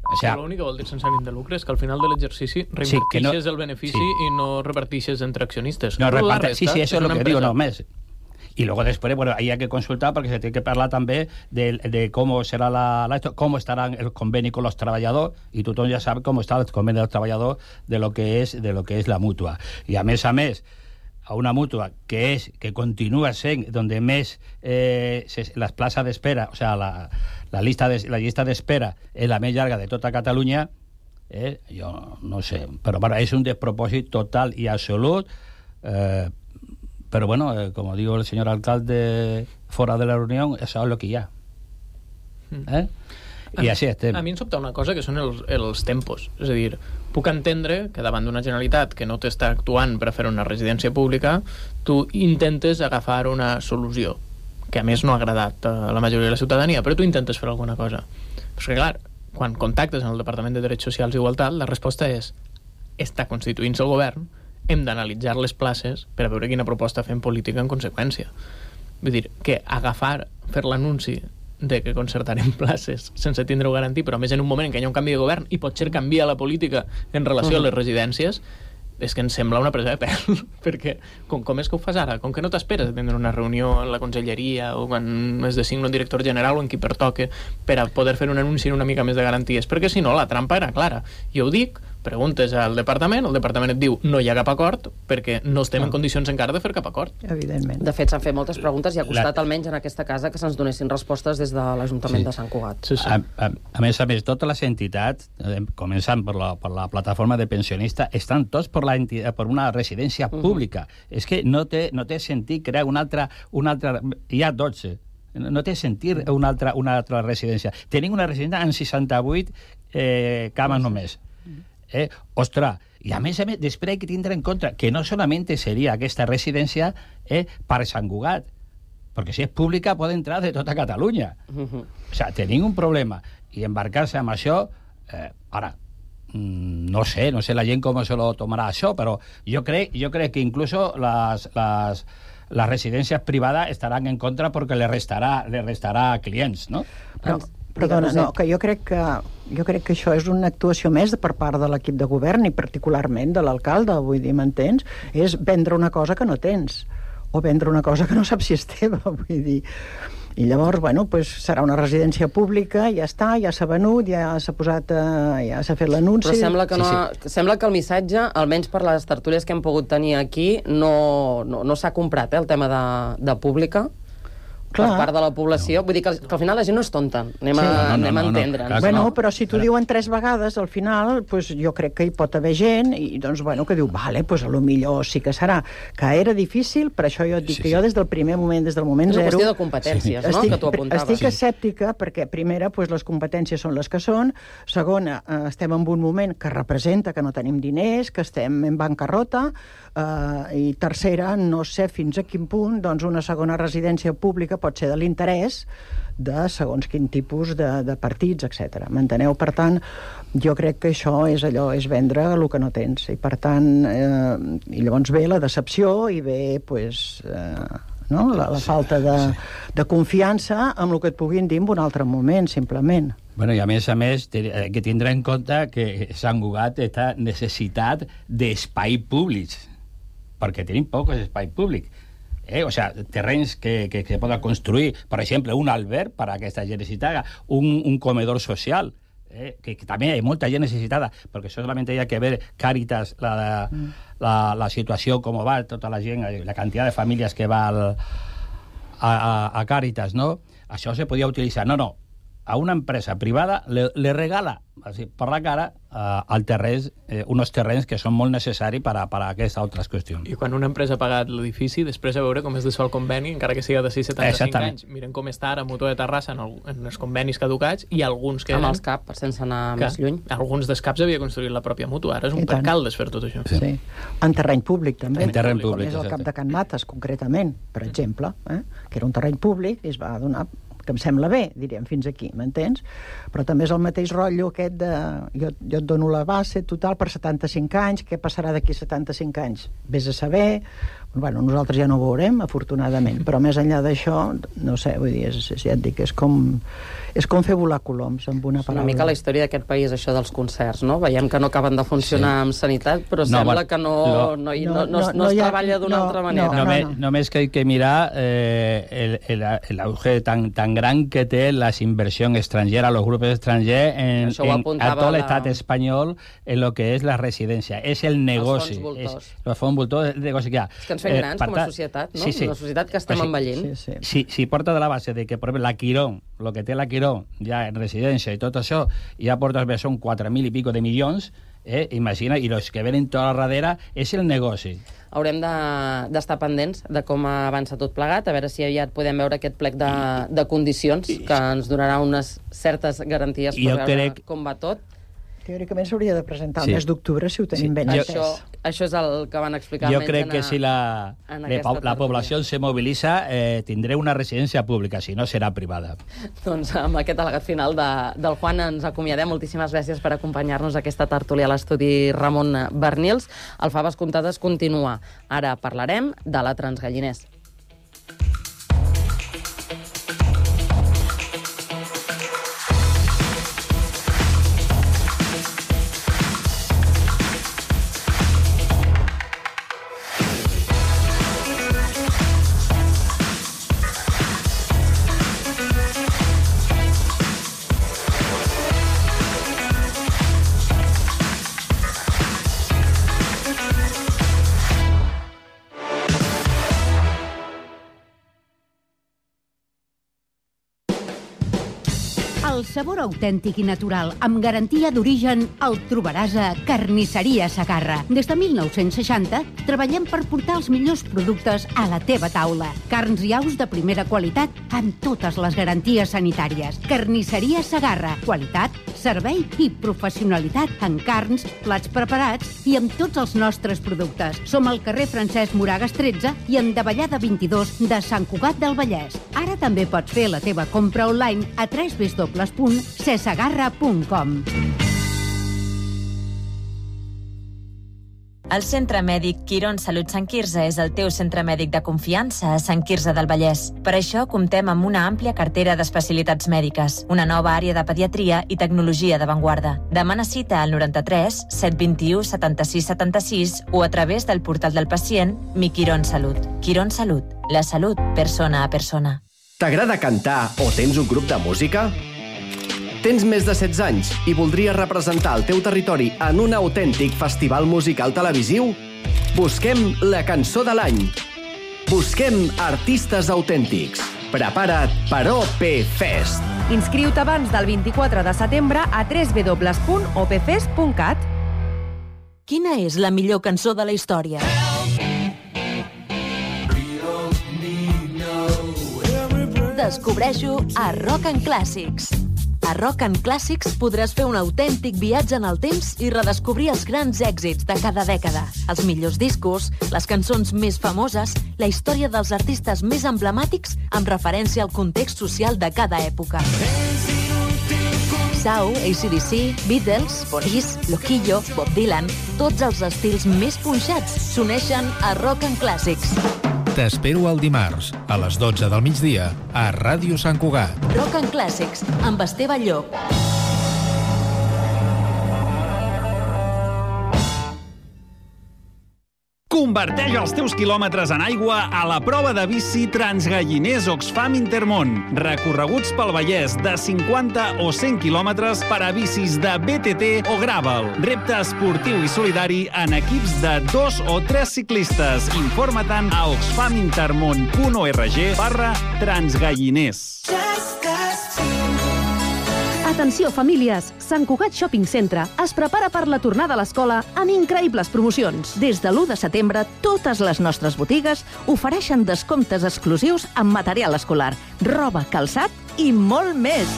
O sea,
l'únic que vol dir sense ànim de lucre és que al final de l'exercici reinvertixes sí, no, el benefici sí. i no repartixes entre accionistes.
No, reparte, sí, sí, eso es lo que empresa. digo, no més. Y luego después, bueno, ahí hay que consultar porque se tiene que hablar también de, de cómo será la, la cómo estará el convenio con los trabajadores, y tú ya sabes cómo está el convenio de los trabajadores de lo que es de lo que es la mutua. Y a mes a mes a una mutua que es que continúa sent donde més eh, les places d'espera, o sea, la, la llista de, la llista d'espera és la més llarga de tota Catalunya, eh, jo no sé, però bueno, és un despropòsit total i absolut, eh, però bueno, eh, como digo el señor alcalde fora de la reunió, això és el que hi ha. Eh? I així estem.
A mi em sobta una cosa que són els, els tempos. És a dir, puc entendre que davant d'una Generalitat que no t'està actuant per a fer una residència pública, tu intentes agafar una solució, que a més no ha agradat a la majoria de la ciutadania, però tu intentes fer alguna cosa. Però és que, clar, quan contactes en el Departament de Drets Socials i Igualtat, la resposta és: està constituint-se el govern, hem d'analitzar les places per a veure quina proposta fem política en conseqüència. Vull dir, que agafar, fer l'anunci de que concertarem places sense tindre-ho garantit, però a més en un moment en què hi ha un canvi de govern i potser canvia la política en relació uh-huh. a les residències, és que ens sembla una presa de pèl, perquè com, com és que ho fas ara? Com que no t'esperes a tindre una reunió en la conselleria o quan es designa un director general o en qui pertoque per a poder fer un anunci una mica més de garanties? Perquè si no, la trampa era clara. Jo ho dic, preguntes al departament, el departament et diu no hi ha cap acord perquè no estem no. en condicions encara de fer cap acord.
Evidentment.
De fet, s'han fet moltes preguntes i ha costat la... almenys en aquesta casa que se'ns donessin respostes des de l'Ajuntament sí. de Sant Cugat.
Sí, sí. A, a, a més a més, totes les entitats, eh, començant per la, per la plataforma de pensionistes, estan tots per, la enti... per una residència uh-huh. pública. És que no té, no té sentit crear una altra... Una altra... Hi ha dotze. No té sentit una altra, una altra residència. Tenim una residència en seixanta-vuit eh, cames només. Eh? Ostres, i a més a més, després hay que tindre en compte que no solament seria aquesta residència eh, per Sant Cugat, perquè si és pública pot entrar de tota Catalunya. Uh-huh. O sigui, tenim un problema, i embarcar-se amb això, eh, ara, no sé, no sé la gent com se lo tomarà això, però jo crec, jo crec que incluso les, les, les residències privades estaran en contra perquè le restarà, le restarà clients, no?
Però... Perdona, no, que jo crec que jo crec que això és una actuació més per part de l'equip de govern i particularment de l'alcalde, vull dir, m'entens? És vendre una cosa que no tens o vendre una cosa que no saps si és teva, vull dir. I llavors, bueno, pues serà una residència pública, ja està, ja s'ha venut, ja s'ha posat, eh, ja s'ha fet l'anunci.
Però sembla que, no,
sí, sí.
sembla que el missatge, almenys per les tertúlies que hem pogut tenir aquí, no, no, no s'ha comprat, eh, el tema de, de pública. Clar. Per part de la població, vull dir que, que al final la gent no és tonta, anem a, sí, no, no, anem a entendre'ns.
No, no, no. Bueno, però si t'ho diuen tres vegades, al final, pues, jo crec que hi pot haver gent i, doncs, bueno, que diu, vale, pues, a lo millor sí que serà. Que era difícil, per això jo et dic sí, que jo des del primer moment, des del moment zero...
És una qüestió de competències, sí. no?,
estic,
que tu apuntaves.
Estic escèptica, perquè, primera, pues, les competències són les que són, segona, eh, estem en un moment que representa que no tenim diners, que estem en bancarrota, eh, i tercera, no sé fins a quin punt, doncs, una segona residència pública pot ser de l'interès de segons quin tipus de, de partits, etcètera. M'enteneu? Per tant, jo crec que això és allò, és vendre el que no tens. I per tant, eh, i llavors ve la decepció i ve, pues, eh, no? la, la falta de, de confiança amb el que et puguin dir en un altre moment, simplement.
Bueno, i a més a més, hay que tindre en compte que Sant Cugat està necessitat d'espai públics, perquè tenim pocs espais públics. Eh, o sea, terrenys que, que, que se pueda construir, por ejemplo, un alberg para que esta gent necesitada, un, un comedor social, eh, que, que también hay mucha gente necesitada, porque solamente hay que ver Càritas, la, mm. la, la situació, com va, tota la gent, la quantitat de famílies que va al, a, a, a Càritas, no? Això se podia utilitzar. No, no, a una empresa privada le, le regala así, per la cara uh, al terreny, eh, unos terrenys que són molt necessaris per a, per a aquestes altres qüestions.
I quan una empresa ha pagat l'edifici, després a veure com es desfà el conveni, encara que siga de sis cents i setanta-cinc anys. Miren com està ara Mutua de Terrassa en, el, en els convenis caducats i alguns que...
Amb els C A P, sense anar
que
més lluny.
Alguns dels C A Ps havia construït la pròpia Mutua. Ara és un percal desfer tot això.
Sí. sí. En terreny públic, també.
En terreny públic.
Com és el Cap de Can Mates, concretament, per exemple, eh? que era un terreny públic i es va donar que em sembla bé, diríem, fins aquí, m'entens? Però també és el mateix rotllo aquest de... Jo, jo et dono la base total per setanta-cinc anys, què passarà d'aquí setanta-cinc anys? Vés a saber... Bueno, nosaltres ja no ho veurem, afortunadament, però més enllà d'això, no sé, vull dir, és, ja et dic, és com, és com fer volar coloms, amb una paraula.
Una mica la història d'aquest país, això dels concerts, no? Veiem que no acaben de funcionar sí. amb sanitat, però no, sembla bueno, que no, lo, no, no, no, no, no, no es ha, treballa d'una no, altra manera.
No, no, no. Només que hay que mirar eh, el, el, el auge tan, tan gran que té la inversió estrangera, los grupos extranjers en, en, a tot l'estat la... espanyol en lo que és la residència. És el negoci. Els fons voltors. És, els fons voltors, el negoci que hi ha.
És que ens fem grans eh, com a societat, no?
Sí, sí.
Una societat que estem o sigui, envellint.
Sí, sí.
Si, si porta de la base de que, per exemple, la Quirón, el que té la Quirón, ja en residència i tot això, ja porta, són quatre mil i pico de milions, eh? Imagina, i els que venen tota la darrere és el negoci.
Haurem d'estar de, pendents de com avança tot plegat, a veure si aviat podem veure aquest plec de, de condicions que ens donarà unes certes garanties per veure crec... com va tot.
Teòricament s'hauria de presentar el sí. mes d'octubre si ho tenim sí. ben
entès. Això, això és el que van explicar
jo
almenys
crec que
a,
si la, la, la població se moviliza eh, tindré una residència pública, si no serà privada.
Doncs amb aquest al·legat final de, del Juan ens acomiadem. Moltíssimes gràcies per acompanyar-nos a aquesta tertúlia a l'estudi Ramon Bernils. El Faves Comptades continua. Ara parlarem de la Transgalliners.
El sabor autèntic i natural, amb garantia d'origen, el trobaràs a Carnisseria Segarra. Des de mil nou-cents seixanta treballem per portar els millors productes a la teva taula. Carns i aus de primera qualitat amb totes les garanties sanitàries. Carnisseria Segarra. Qualitat, servei i professionalitat en carns, plats preparats i amb tots els nostres productes. Som al carrer Francesc Moragas tretze i en Davallada vint-i-dos de Sant Cugat del Vallès. Ara també pots fer la teva compra online a w w w punt cesegarra punt com.
El Centre Mèdic Quirón Salut Sant Quirze és el teu centre mèdic de confiança a Sant Quirze del Vallès. Per això comptem amb una àmplia cartera d'especialitats mèdiques, una nova àrea de pediatria i tecnologia d'avantguarda. Demana cita al noranta-tres set vint-i-u setanta-sis setanta-sis o a través del portal del pacient Mi Quirón Salut. Quirón Salut, la salut persona a persona.
T'agrada cantar o tens un grup de música? Tens més de setze anys i voldries representar el teu territori en un autèntic festival musical televisiu? Busquem la cançó de l'any. Busquem artistes autèntics. Prepara't per O P Fest.
Inscriu-te abans del vint-i-quatre de setembre a w w w punt o p fest punt cat.
Quina és la millor cançó de la història? Descobreixo a Rock and Classics. A Rock and Classics podràs fer un autèntic viatge en el temps i redescobrir els grans èxits de cada dècada, els millors discos, les cançons més famoses, la història dels artistes més emblemàtics amb referència al context social de cada època. Sau, A C D C, Beatles, Police, Loquillo, Bob Dylan, tots els estils més punxats s'uneixen a Rock and Classics.
T'espero el dimarts, a les dotze del migdia, a Ràdio Sant Cugat.
Rock and Classics, amb Esteve Llop.
Converteix els teus quilòmetres en aigua a la prova de bici Transgalliners Oxfam Intermón. Recorreguts pel Vallès de cinquanta o cent quilòmetres per a bicis de B T T o gravel. Repte esportiu i solidari en equips de dos o tres ciclistes. Informa-te'n a oxfamintermon punt org barra transgalliners.
Atenció, famílies! Sant Cugat Shopping Centre es prepara per la tornada a l'escola amb increïbles promocions. Des de l'u de setembre, totes les nostres botigues ofereixen descomptes exclusius en material escolar, roba, calçat i molt més.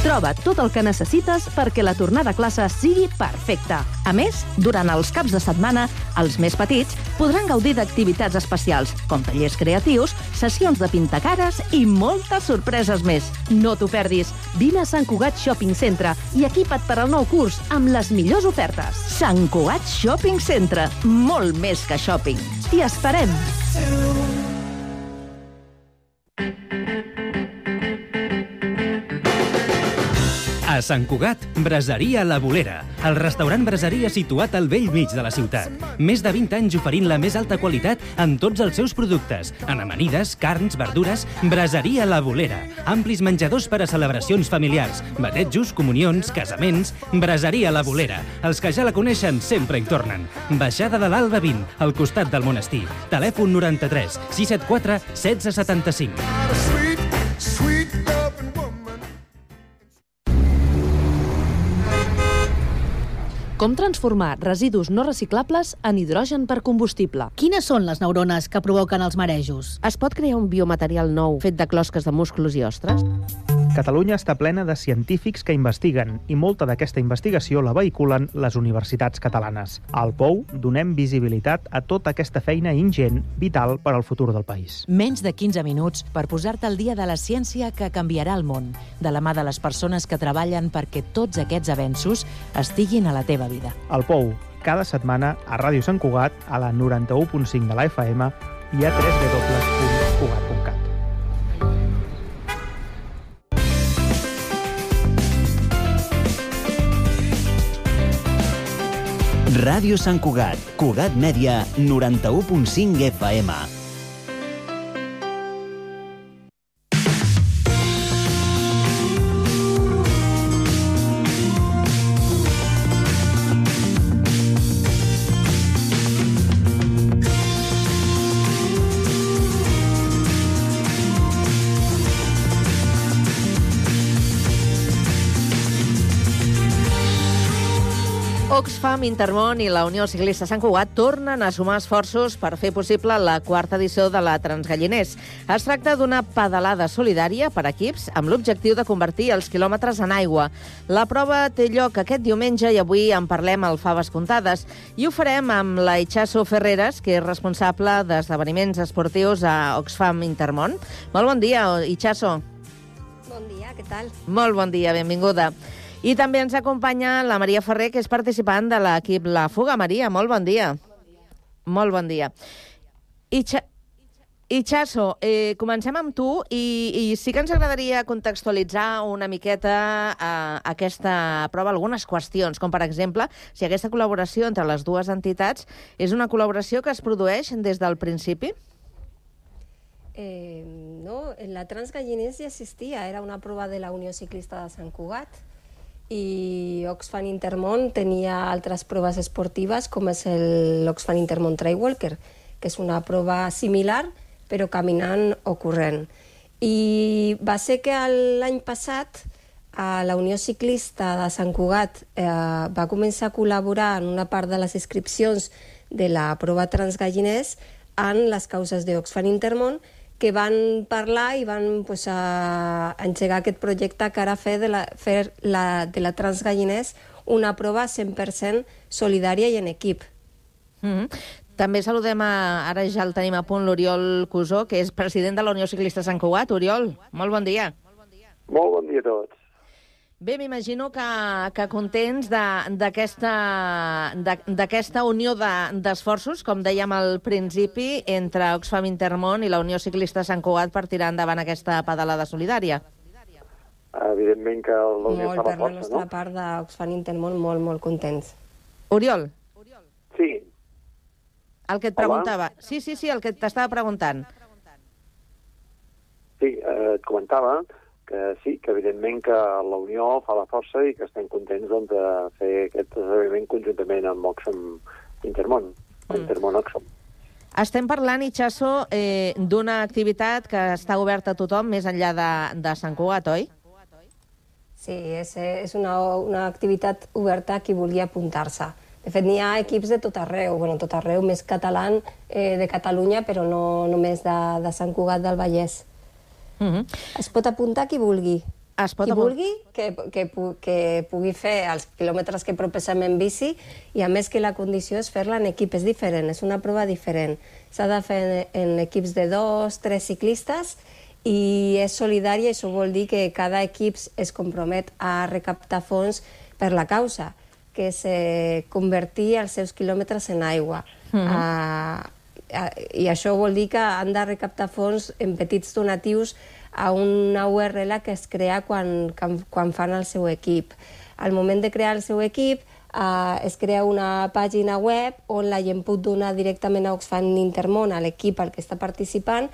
Troba tot el que necessites perquè la tornada a classe sigui perfecta.
A més, durant els caps de setmana, els més petits podran gaudir d'activitats especials, com tallers creatius, sessions de pintacares i moltes sorpreses més.
No t'ho perdis. Vine a Sant Cugat Shopping Centre i equipa't per al nou curs amb les millors ofertes.
Sant Cugat Shopping Centre. Molt més que shopping.
T'hi esperem.
A Sant Cugat, Braseria La Bolera, el restaurant braseria situat al vell mig de la ciutat. Més de vint anys oferint la més alta qualitat en tots els seus productes, en amanides, carns, verdures. Braseria La Bolera, amplis menjadors per a celebracions familiars, batejos, comunions, casaments. Braseria La Bolera, els que ja la coneixen sempre hi tornen. Baixada de l'Alba vint, al costat del monestir. Telèfon noranta-tres sis set quatre setze setanta-cinc.
Com transformar residus no reciclables en hidrogen per combustible?
Quines són les neurones que provoquen els marejos?
Es pot crear un biomaterial nou fet de closques de músculs i ostres?
Catalunya està plena de científics que investiguen i molta d'aquesta investigació la vehiculen les universitats catalanes. Al Pou donem visibilitat a tota aquesta feina ingent, vital per al futur del país.
Menys de quinze minuts per posar-te al dia de la ciència que canviarà el món, de la mà de les persones que treballen perquè tots aquests avenços estiguin a la teva vida.
Al Pou, cada setmana a Ràdio Sant Cugat, a la noranta-u punt cinc de la F M i a w w w punt cugat punt cat.
Ràdio Sant Cugat, Cugat Mèdia, noranta-u punt cinc F M.
Oxfam, Intermón i la Unió Ciclista Sant Cugat tornen a sumar esforços per fer possible la quarta edició de la Transgalliners. Es tracta d'una pedalada solidària per equips amb l'objectiu de convertir els quilòmetres en aigua. La prova té lloc aquest diumenge i avui en parlem al Faves Comptades i ho farem amb la Itxaso Ferreres, que és responsable d'esdeveniments esportius a Oxfam, Intermón. Molt bon dia, Itxaso.
Bon dia, què tal?
Molt bon dia, benvinguda. I també ens acompanya la Maria Ferrer, que és participant de l'equip La Fuga. Maria, molt bon dia. Molt bon dia. Itxa... Itxaso, eh, comencem amb tu i, i sí que ens agradaria contextualitzar una miqueta eh, aquesta prova, algunes qüestions, com per exemple, si aquesta col·laboració entre les dues entitats és una col·laboració que es produeix des del principi?
Eh, no, la Transgalliners ja existia, era una prova de la Unió Ciclista de Sant Cugat, i Oxfam Intermón tenia altres proves esportives, com és l'Oxfam Intermón Trail Walker, que és una prova similar, però caminant o corrent. I va ser que l'any passat a la Unió Ciclista de Sant Cugat eh, va començar a col·laborar en una part de les inscripcions de la prova Transgalliners en les causes d'Oxfam Intermón, que van parlar i van pues, a engegar aquest projecte que ara fer de la, fer la, de la Transgalliners una prova cent per cent solidària i en equip.
Mm-hmm. També saludem, a, ara ja el tenim a punt, l'Oriol Cusó, que és president de la Unió Ciclista Sant Cugat. Oriol, molt bon dia.
Molt bon dia a tots.
Bé, m'imagino que, que contents d'aquesta unió d'esforços, de, com dèiem al principi, entre Oxfam Intermón i la Unió Ciclista Sant Cugat per tirar endavant aquesta pedalada solidària.
Evidentment que la Unió fa la força, no?
Molt, per la nostra part d'Oxfam Intermón, molt, molt contents.
Oriol?
Sí.
El que et preguntava. Sí, sí, sí, el que t'estava preguntant.
Sí, eh, et comentava que sí, que evidentment que la Unió fa la força i que estem contents doncs, de fer aquest esdeveniment conjuntament amb Oxfam Intermón, mm. Intermón Oxfam.
Estem parlant, Itxaso, eh, d'una activitat que està oberta a tothom més enllà de, de Sant Cugat, oi?
Sí, és, és una, una activitat oberta a qui volia apuntar-se. De fet, n'hi ha equips de tot arreu, bueno, tot arreu, més català eh, de Catalunya, però no només de, de Sant Cugat del Vallès. Mm-hmm. Es pot apuntar qui vulgui.
Es pot
qui vulgui que, que, que pugui fer els quilòmetres que proposem en bici i a més que la condició és fer-la en equip, és diferent, és una prova diferent. S'ha de fer en, en equips de dos, tres ciclistes i és solidària i això vol dir que cada equip es compromet a recaptar fons per la causa, que és eh, convertir els seus quilòmetres en aigua. Mm-hmm. uh, uh, I això vol dir que han de recaptar fons en petits donatius a una U R L que es crea quan, quan fan el seu equip. Al moment de crear el seu equip, eh, es crea una pàgina web on la gent pot donar directament a Oxfam Intermón, a l'equip al que està participant,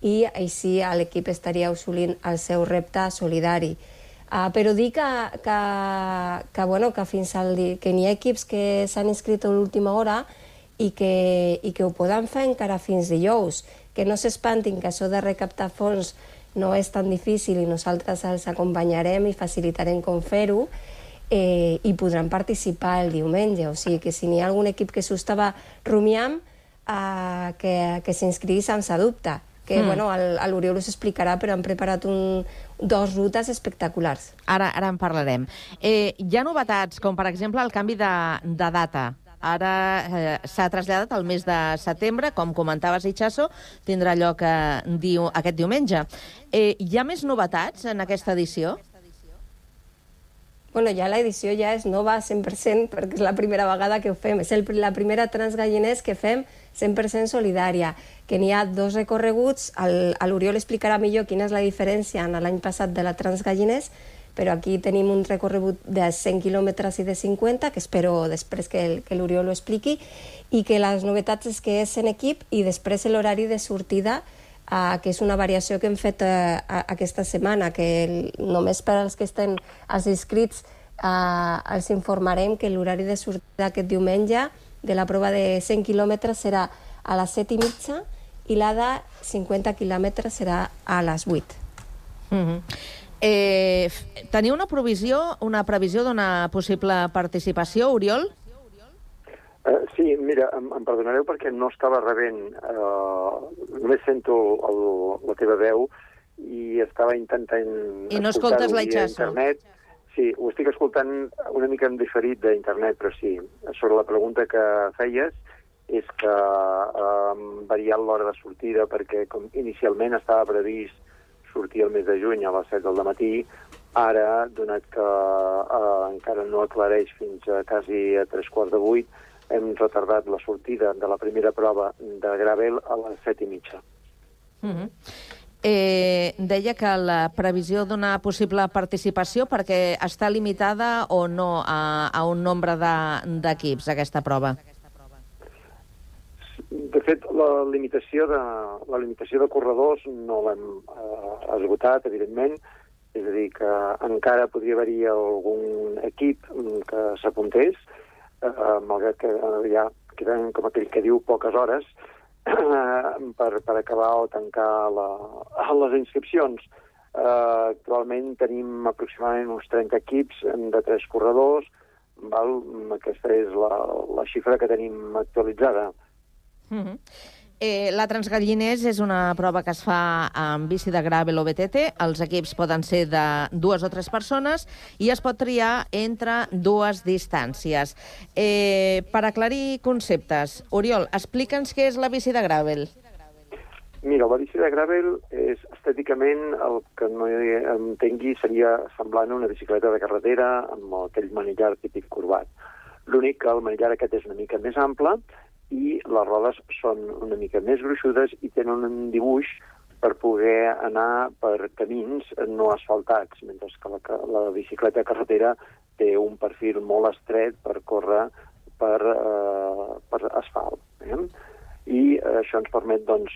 i així l'equip estaria assolint el seu repte solidari. Uh, però dir que, que, que, bueno, que fins al dia, que n'hi ha equips que s'han inscrit a l'última hora i que, i que ho poden fer encara fins dijous, que no s'espantin que això de recaptar fons no és tan difícil i nosaltres els acompanyarem i facilitarem com fer-ho eh, i podran participar el diumenge. O sigui que si n'hi ha algun equip que s'ho estava rumiant, eh, que, que s'inscrigui sense dubte. Que, mm. bueno, l'Oriol us explicarà, però han preparat un, dos rutes espectaculars.
Ara, ara en parlarem. Eh, hi ha novetats, com per exemple el canvi de, de data. Ara eh, s'ha traslladat al mes de setembre, com comentaves, Itxaso, tindrà lloc eh, diu, aquest diumenge. Eh, hi ha més novetats en aquesta edició?
Bueno, ja l'edició ja és nova cent per cent, perquè és la primera vegada que ho fem. És el, la primera Transgalliners que fem cent per cent solidària, que n'hi ha dos recorreguts. L'Oriol explicarà millor quina és la diferència en l'any passat de la Transgalliners, però aquí tenim un recorregut de cent quilòmetres i de cinquanta, que espero després que, que l'Oriol ho expliqui, i que les novetats és que és en equip i després l'horari de sortida, eh, que és una variació que hem fet eh, aquesta setmana, que el, només per als que estan als inscrits eh, els informarem que l'horari de sortida aquest diumenge de la prova de cent quilòmetres serà a les set i mitja i la de cinquanta quilòmetres serà a les vuit.
Mm-hmm. Eh, teniu una provisió, una previsió d'una possible participació, Oriol?
Uh, sí, mira, em, em perdonareu perquè no estava rebent, uh, només sento el, la teva veu i estava intentant
I no escoltes la Itxaso.
Sí, ho estic escoltant una mica en diferit d'internet, però sí, sobre la pregunta que feies, és que uh, hem variat l'hora de sortida perquè com inicialment estava previst sortir el mes de juny a les set del matí, ara, donat que eh, encara no aclareix fins a quasi a tres quarts de vuit, hem retardat la sortida de la primera prova de gravel a les set i mitja.
Mm-hmm. eh, deia que la previsió d'una possible participació perquè està limitada o no a, a un nombre d'equips, de, aquesta prova?
De fet, la limitació de, la limitació de corredors no l'hem eh, esgotat, evidentment. És a dir, que encara podria haver-hi algun equip que s'apuntés, eh, malgrat que ja queden, com aquell que diu, poques hores eh, per, per acabar o tancar la, les inscripcions. Eh, actualment tenim aproximadament uns trenta equips de tres corredors. Val? Aquesta és la, la xifra que tenim actualitzada.
Mm-hmm. eh, la Transgalliners és una prova que es fa amb bici de gravel o B T T. Els equips poden ser de dues o tres persones i es pot triar entre dues distàncies. Eh, per aclarir conceptes, Oriol, explica'ns què és la bici de gravel.
Mira, la bici de gravel és estèticament el que no entengui seria semblant a una bicicleta de carretera amb aquell manillar típic corbat. L'únic que el manillar aquest és una mica més ample i les rodes són una mica més gruixudes i tenen un dibuix per poder anar per camins no asfaltats, mentre que la, la bicicleta carretera té un perfil molt estret per córrer per, eh, per asfalt. Eh? I això ens permet doncs,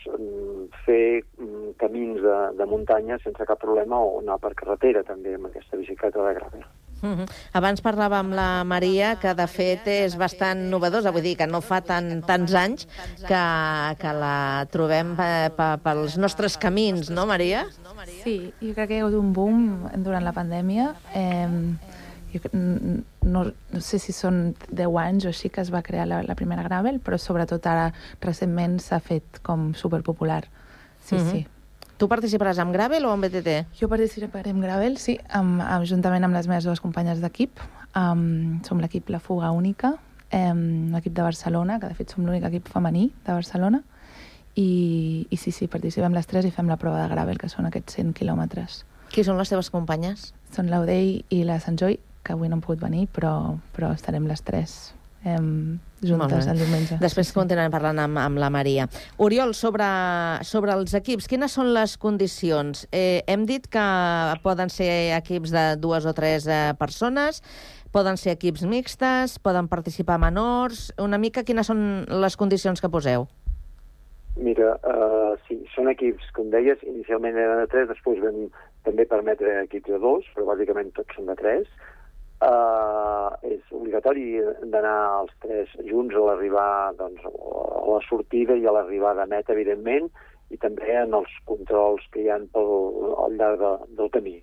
fer camins de, de muntanya sense cap problema o anar per carretera també amb aquesta bicicleta de gravel.
Uh-huh. Abans parlava amb la Maria, que de fet és bastant novedosa, vull dir que no fa tan, tants anys que, que la trobem pels nostres camins, no, Maria?
Sí, jo crec que hi ha hagut un boom durant la pandèmia. Eh, jo, no, no sé si són deu anys o així que es va crear la, la primera gravel, però sobretot ara recentment s'ha fet com superpopular. Sí, uh-huh. sí.
Tu participaràs amb Gravel o amb B T T?
Jo participaré amb Gravel, sí, amb, amb, juntament amb les meves dues companyes d'equip. Um, som l'equip La Fuga Única, um, l'equip de Barcelona, que de fet som l'únic equip femení de Barcelona, i, i sí, sí, participem les tres i fem la prova de Gravel, que són aquests cent quilòmetres.
Qui són les teves companyes?
Són l'Audei i la Sant Joy, que avui no han pogut venir, però, però estarem les tres eh, juntes el diumenge.
Després sí, sí. continuarem parlant amb, amb la Maria. Oriol, sobre, sobre els equips, quines són les condicions? Eh, hem dit que poden ser equips de dues o tres eh, persones, poden ser equips mixtes, poden participar menors... Una mica quines són les condicions que poseu?
Mira, uh, sí, són equips, com deies, inicialment eren de tres, després vam també permetre equips de dos, però bàsicament tots són de tres. Uh, és obligatori d'anar els tres junts a l'arribar, doncs, a la sortida i a l'arribada meta, evidentment, i també en els controls que hi ha pel, al llarg de, del camí.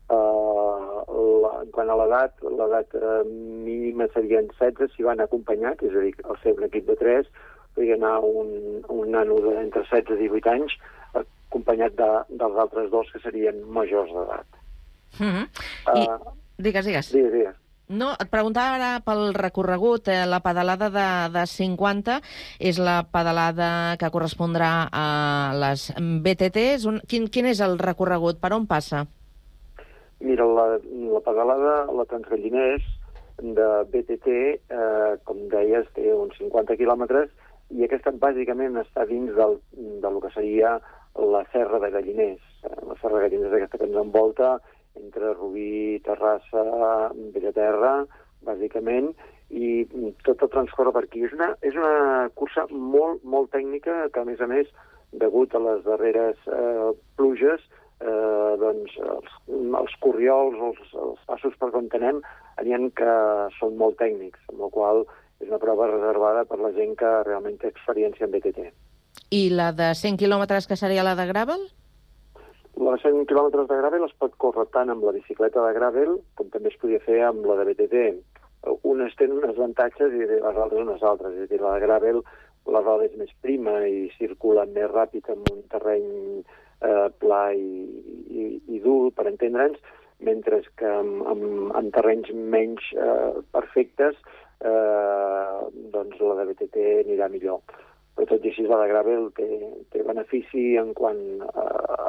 Uh, la, en quant a l'edat, l'edat uh, mínima serien setze si van acompanyats, és a dir, al ser un equip de tres, podria anar un, un nano d'entre setze i divuit anys acompanyat de, dels altres dos que serien majors d'edat.
Mm-hmm. I, uh, digues, digues.
Digues, digues.
No, et preguntava ara pel recorregut. Eh, la pedalada de, de cinquanta és la pedalada que correspondrà a les B T Ts. Un, quin, quin és el recorregut? Per on passa?
Mira, la, la pedalada, la Transgalliners de B T T, eh, com deies, té uns cinquanta quilòmetres, i aquesta bàsicament està dins del, del que seria la Serra de Galliners. La Serra de Galliners és aquesta que ens envolta entre Rubí, Terrassa, Bellaterra, bàsicament, i tot el transcorre per aquí. És una, és una cursa molt, molt tècnica, que a més a més, degut a les darreres eh, pluges, eh, doncs els, els corriols, els, els passos per on anem, n'hi ha que són molt tècnics, amb la qual és una prova reservada per la gent que realment té experiència en B T T.
I la de cent quilòmetres, que seria la de Gravel?
La de cent quilòmetres de Gravel es pot córrer tant amb la bicicleta de Gravel com també es podia fer amb la de B T T. Unes tenen unes avantatges i les altres unes altres. És a dir, la de Gravel, la roda és més prima i circula més ràpid en un terreny eh, pla i, i, i dur, per entendre'ns, mentre que en, en, en terrenys menys eh, perfectes Eh, doncs la de B T T anirà millor. Però tot i així la de Gravel té, té benefici en quant a,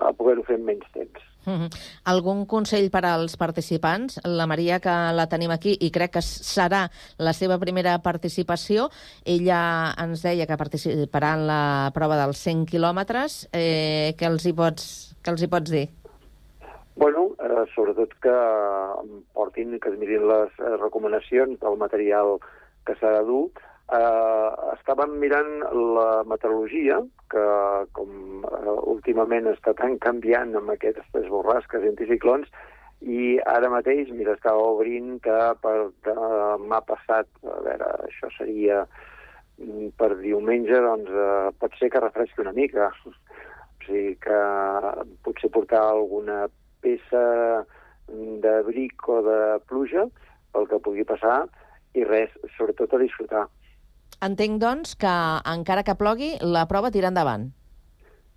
a poder-ho fer en menys temps.
Mm-hmm. Algun consell per als participants? La Maria, que la tenim aquí i crec que serà la seva primera participació, ella ens deia que participarà en la prova dels cent quilòmetres. Eh, què els hi pots, què els hi pots dir?
Bueno, eh, sobretot que portin, que es mirin les eh, recomanacions del material que s'ha de dur. Eh, estàvem mirant la meteorologia, que com eh, últimament està tan canviant amb aquestes borrasques i anticiclons, i ara mateix, mira, estava obrint que per demà passat, a veure, això seria per diumenge, doncs eh, pot ser que refresqui una mica. O sigui que potser portar alguna peça d'abric o de pluja pel que pugui passar i res, sobretot a disfrutar.
Entenc, doncs, que encara que plogui, la prova tira endavant.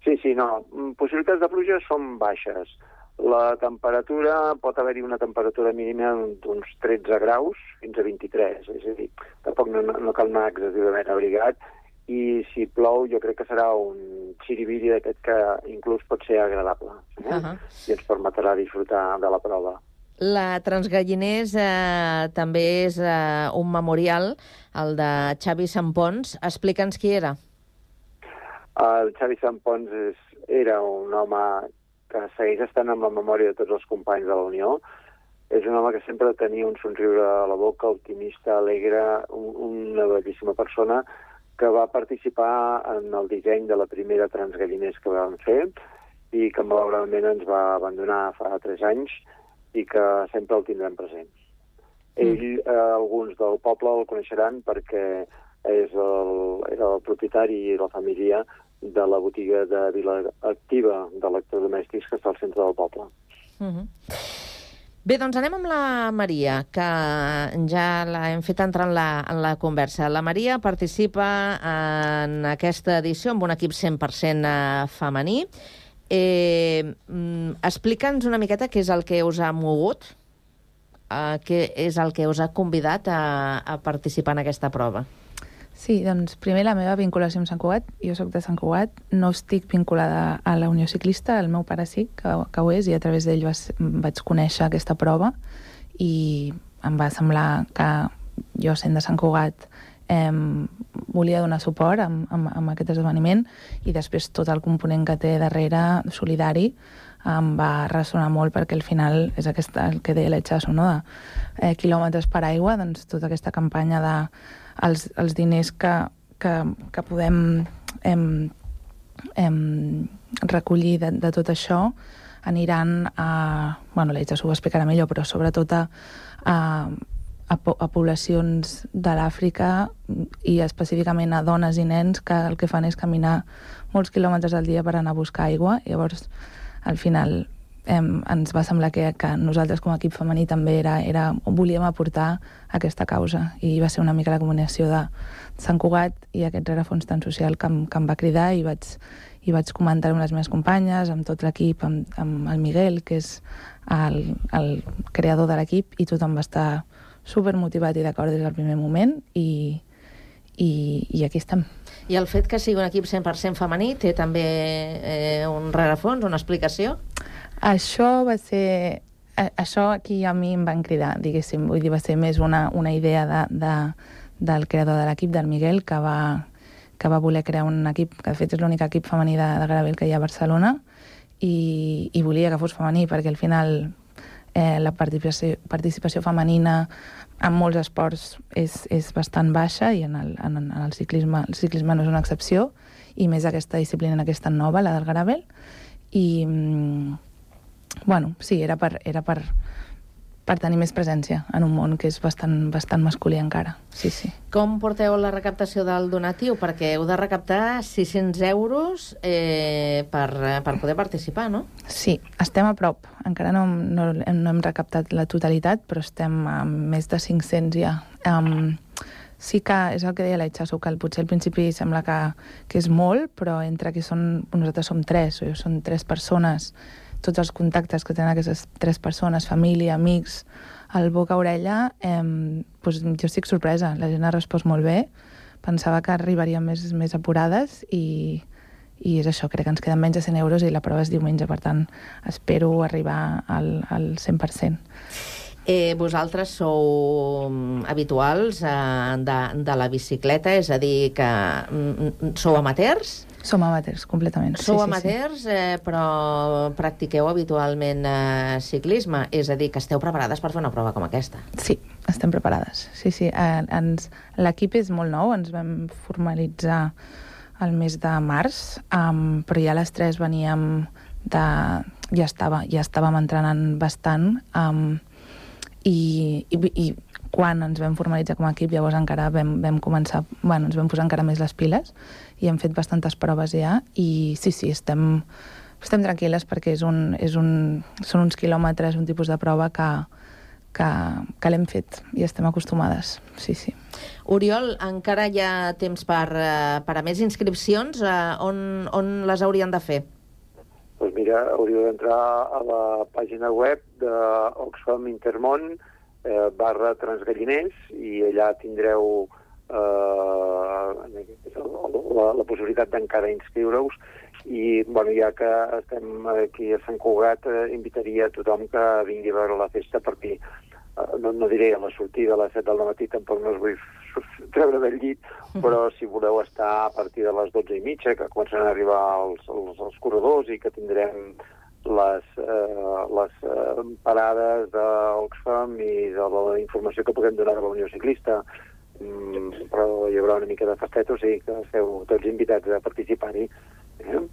Sí, sí, no. Possibilitats de pluja són baixes. La temperatura, pot haver-hi una temperatura mínima d'uns tretze graus fins a vint-i-tres, és a dir, tampoc no, no cal anar excessivament abrigat, i si plou jo crec que serà un xiribiri d'aquest que inclús pot ser agradable, eh? Uh-huh. I ens permetrà disfrutar de la prova.
La Transgalliners eh, també és eh, un memorial, el de Xavi Sampons. Explica'ns qui era.
El Xavi Sampons és, era un home que segueix estant en la memòria de tots els companys de la Unió. És un home que sempre tenia un somriure a la boca, optimista, alegre, un, una bellíssima persona, que va participar en el disseny de la primera Transgalliners que vam fer i que malauradament ens va abandonar fa tres anys i que sempre el tindrem present. Mm. Ell, eh, alguns del poble el coneixeran perquè és el, era el propietari i la família de la botiga de Vila Activa d'electrodomèstics que està al centre del poble.
Mm-hmm. Bé, doncs anem amb la Maria, que ja l'hem fet entrar en la, en la conversa. La Maria participa en aquesta edició amb un equip cent per cent femení. Eh, Explica'ns una miqueta què és el que us ha mogut, eh, què és el que us ha convidat a, a participar en aquesta prova.
Sí, doncs primer la meva vinculació amb Sant Cugat. Jo sóc de Sant Cugat, no estic vinculada a la Unió Ciclista, el meu pare sí, que, que ho és, i a través d'ell vaig conèixer aquesta prova i em va semblar que jo, sent de Sant Cugat, eh, volia donar suport amb, amb, amb aquest esdeveniment, i després tot el component que té darrere, solidari, em va ressonar molt, perquè al final és aquesta, el que deia l'Etxasso, no? de eh, quilòmetres per aigua, doncs tota aquesta campanya de els, els diners que, que, que podem em, em, recollir de, de tot això aniran a... Bueno, l'Etxasso ho explicarà millor, però sobretot a, a, a, a poblacions de l'Àfrica i específicament a dones i nens que el que fan és caminar molts quilòmetres al dia per anar a buscar aigua. Llavors, al final eh, ens va semblar que, que nosaltres com a equip femení també era, era, volíem aportar aquesta causa, i va ser una mica la combinació de Sant Cugat i aquest rerefons tan social que em, que em va cridar, i vaig, i vaig comentar amb les meves companyes, amb tot l'equip, amb, amb el Miguel, que és el, el creador de l'equip, i tothom va estar supermotivat i d'acord des del primer moment, i, i, i aquí estem.
I el fet que sigui un equip cent per cent femení té també eh, un rerefons, una explicació?
Això va ser... Això aquí a mi em van cridar, diguéssim. Vull dir, va ser més una, una idea de, de, del creador de l'equip, del Miguel, que va, que va voler crear un equip, que de fet és l'únic equip femení de, de gravel que hi ha a Barcelona, i, i volia que fos femení, perquè al final eh, la participació, participació femenina en molts esports és, és bastant baixa, i en el, en, en el ciclisme el ciclisme no és una excepció, i més aquesta disciplina aquesta nova, la del gravel. I, bueno, sí, era per, era per, per tenir més presència en un món que és bastant, bastant masculí encara. Sí, sí.
Com porteu la recaptació del donatiu? Perquè heu de recaptar sis-cents euros eh, per, per poder participar, no?
Sí, estem a prop. Encara no, no, no hem recaptat la totalitat, però estem a més de cinc-cents ja. Um, sí que és el que deia l'Etxasso, que potser al principi sembla que, que és molt, però entre que són, nosaltres som tres, o són tres persones, tots els contactes que tenen aquestes tres persones, família, amics, el boca a orella, eh, doncs jo estic sorpresa. La gent ha respost molt bé. Pensava que arribaríem més, més apurades, i, i és això, crec que ens queden menys de cent euros i la prova és diumenge, per tant, espero arribar al, al cent per cent.
Eh, vosaltres sou habituals eh, de, de la bicicleta, és a dir, que mm, sou amateurs?
Som amateurs, completament.
Sou
sí,
amateurs,
sí, sí.
Eh, però practiqueu habitualment eh, ciclisme, és a dir, que esteu preparades per fer una prova com aquesta.
Sí, estem preparades. Sí, sí. Eh, ens, l'equip és molt nou, ens vam formalitzar el mes de març, um, però ja les tres veníem de... Ja, estava, ja estàvem entrenant bastant, um, i, i, i quan ens vam formalitzar com a equip, llavors encara vam, vam començar, bueno, ens vam posar encara més les piles, i hem fet bastantes proves ja, i sí, sí, estem, estem tranquil·les, perquè és un, és un, són uns quilòmetres, un tipus de prova que, que, que l'hem fet i estem acostumades, sí, sí.
Oriol, encara hi ha temps per, per a més inscripcions, on, on les haurien de fer?
Doncs mira, hauríeu d'entrar a la pàgina web d'Oxfam Intermón eh, barra Transgalliners, i allà tindreu eh, la, la possibilitat d'encara inscriure-us. I, bueno, ja que estem aquí a Sant Cugat, eh, invitaria a tothom que vingui a veure la festa, perquè eh, no, no diré a la sortida a les set del matí, tampoc no us vull treure del llit, però si voleu estar a partir de les dotze i mitja, que començaran a arribar els, els, els corredors, i que tindrem les, eh, les eh, parades d'Oxfam i de la informació que puguem donar de la Unió Ciclista, mm, però hi haurà una mica de festeta, o sigui que esteu tots invitats a participar-hi. Eh?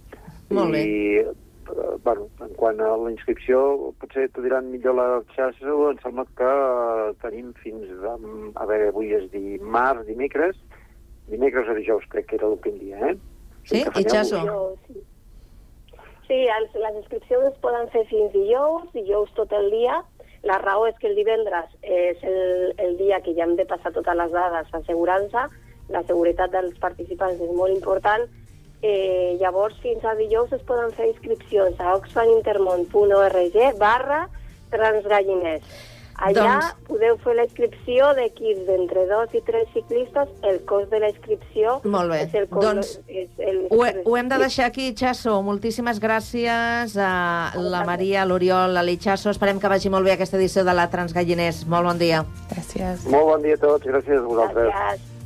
Molt bé.
I, bueno, en quant a la inscripció, potser t'ho diran millor la xarxa, em sembla que tenim fins a... A veure, avui és dimarts, dimecres, dimecres o dijous, crec que era l'últim dia, eh?
Sí, i xasso.
Sí, sí els, les inscripcions es poden fer fins dijous, dijous tot el dia. La raó és que el divendres és el, el dia que ja hem de passar totes les dades d'assegurança. La seguretat dels participants és molt important, Eh, llavors, fins a dijous es poden fer inscripcions a oxfamintermont.org barra transgalliners. Allà doncs... podeu fer la inscripció d'equips d'entre dos i tres ciclistes. El cost de la inscripció...
Molt bé.
És el cost,
doncs
és el...
ho, he, ho hem de deixar aquí, Chaso. Moltíssimes gràcies a la Maria, a l'Oriol, a l'Ichaso. Esperem que vagi molt bé aquesta edició de la Transgalliners. Molt bon dia.
Gràcies.
Molt bon dia a tots. Gràcies a vosaltres.
Gràcies.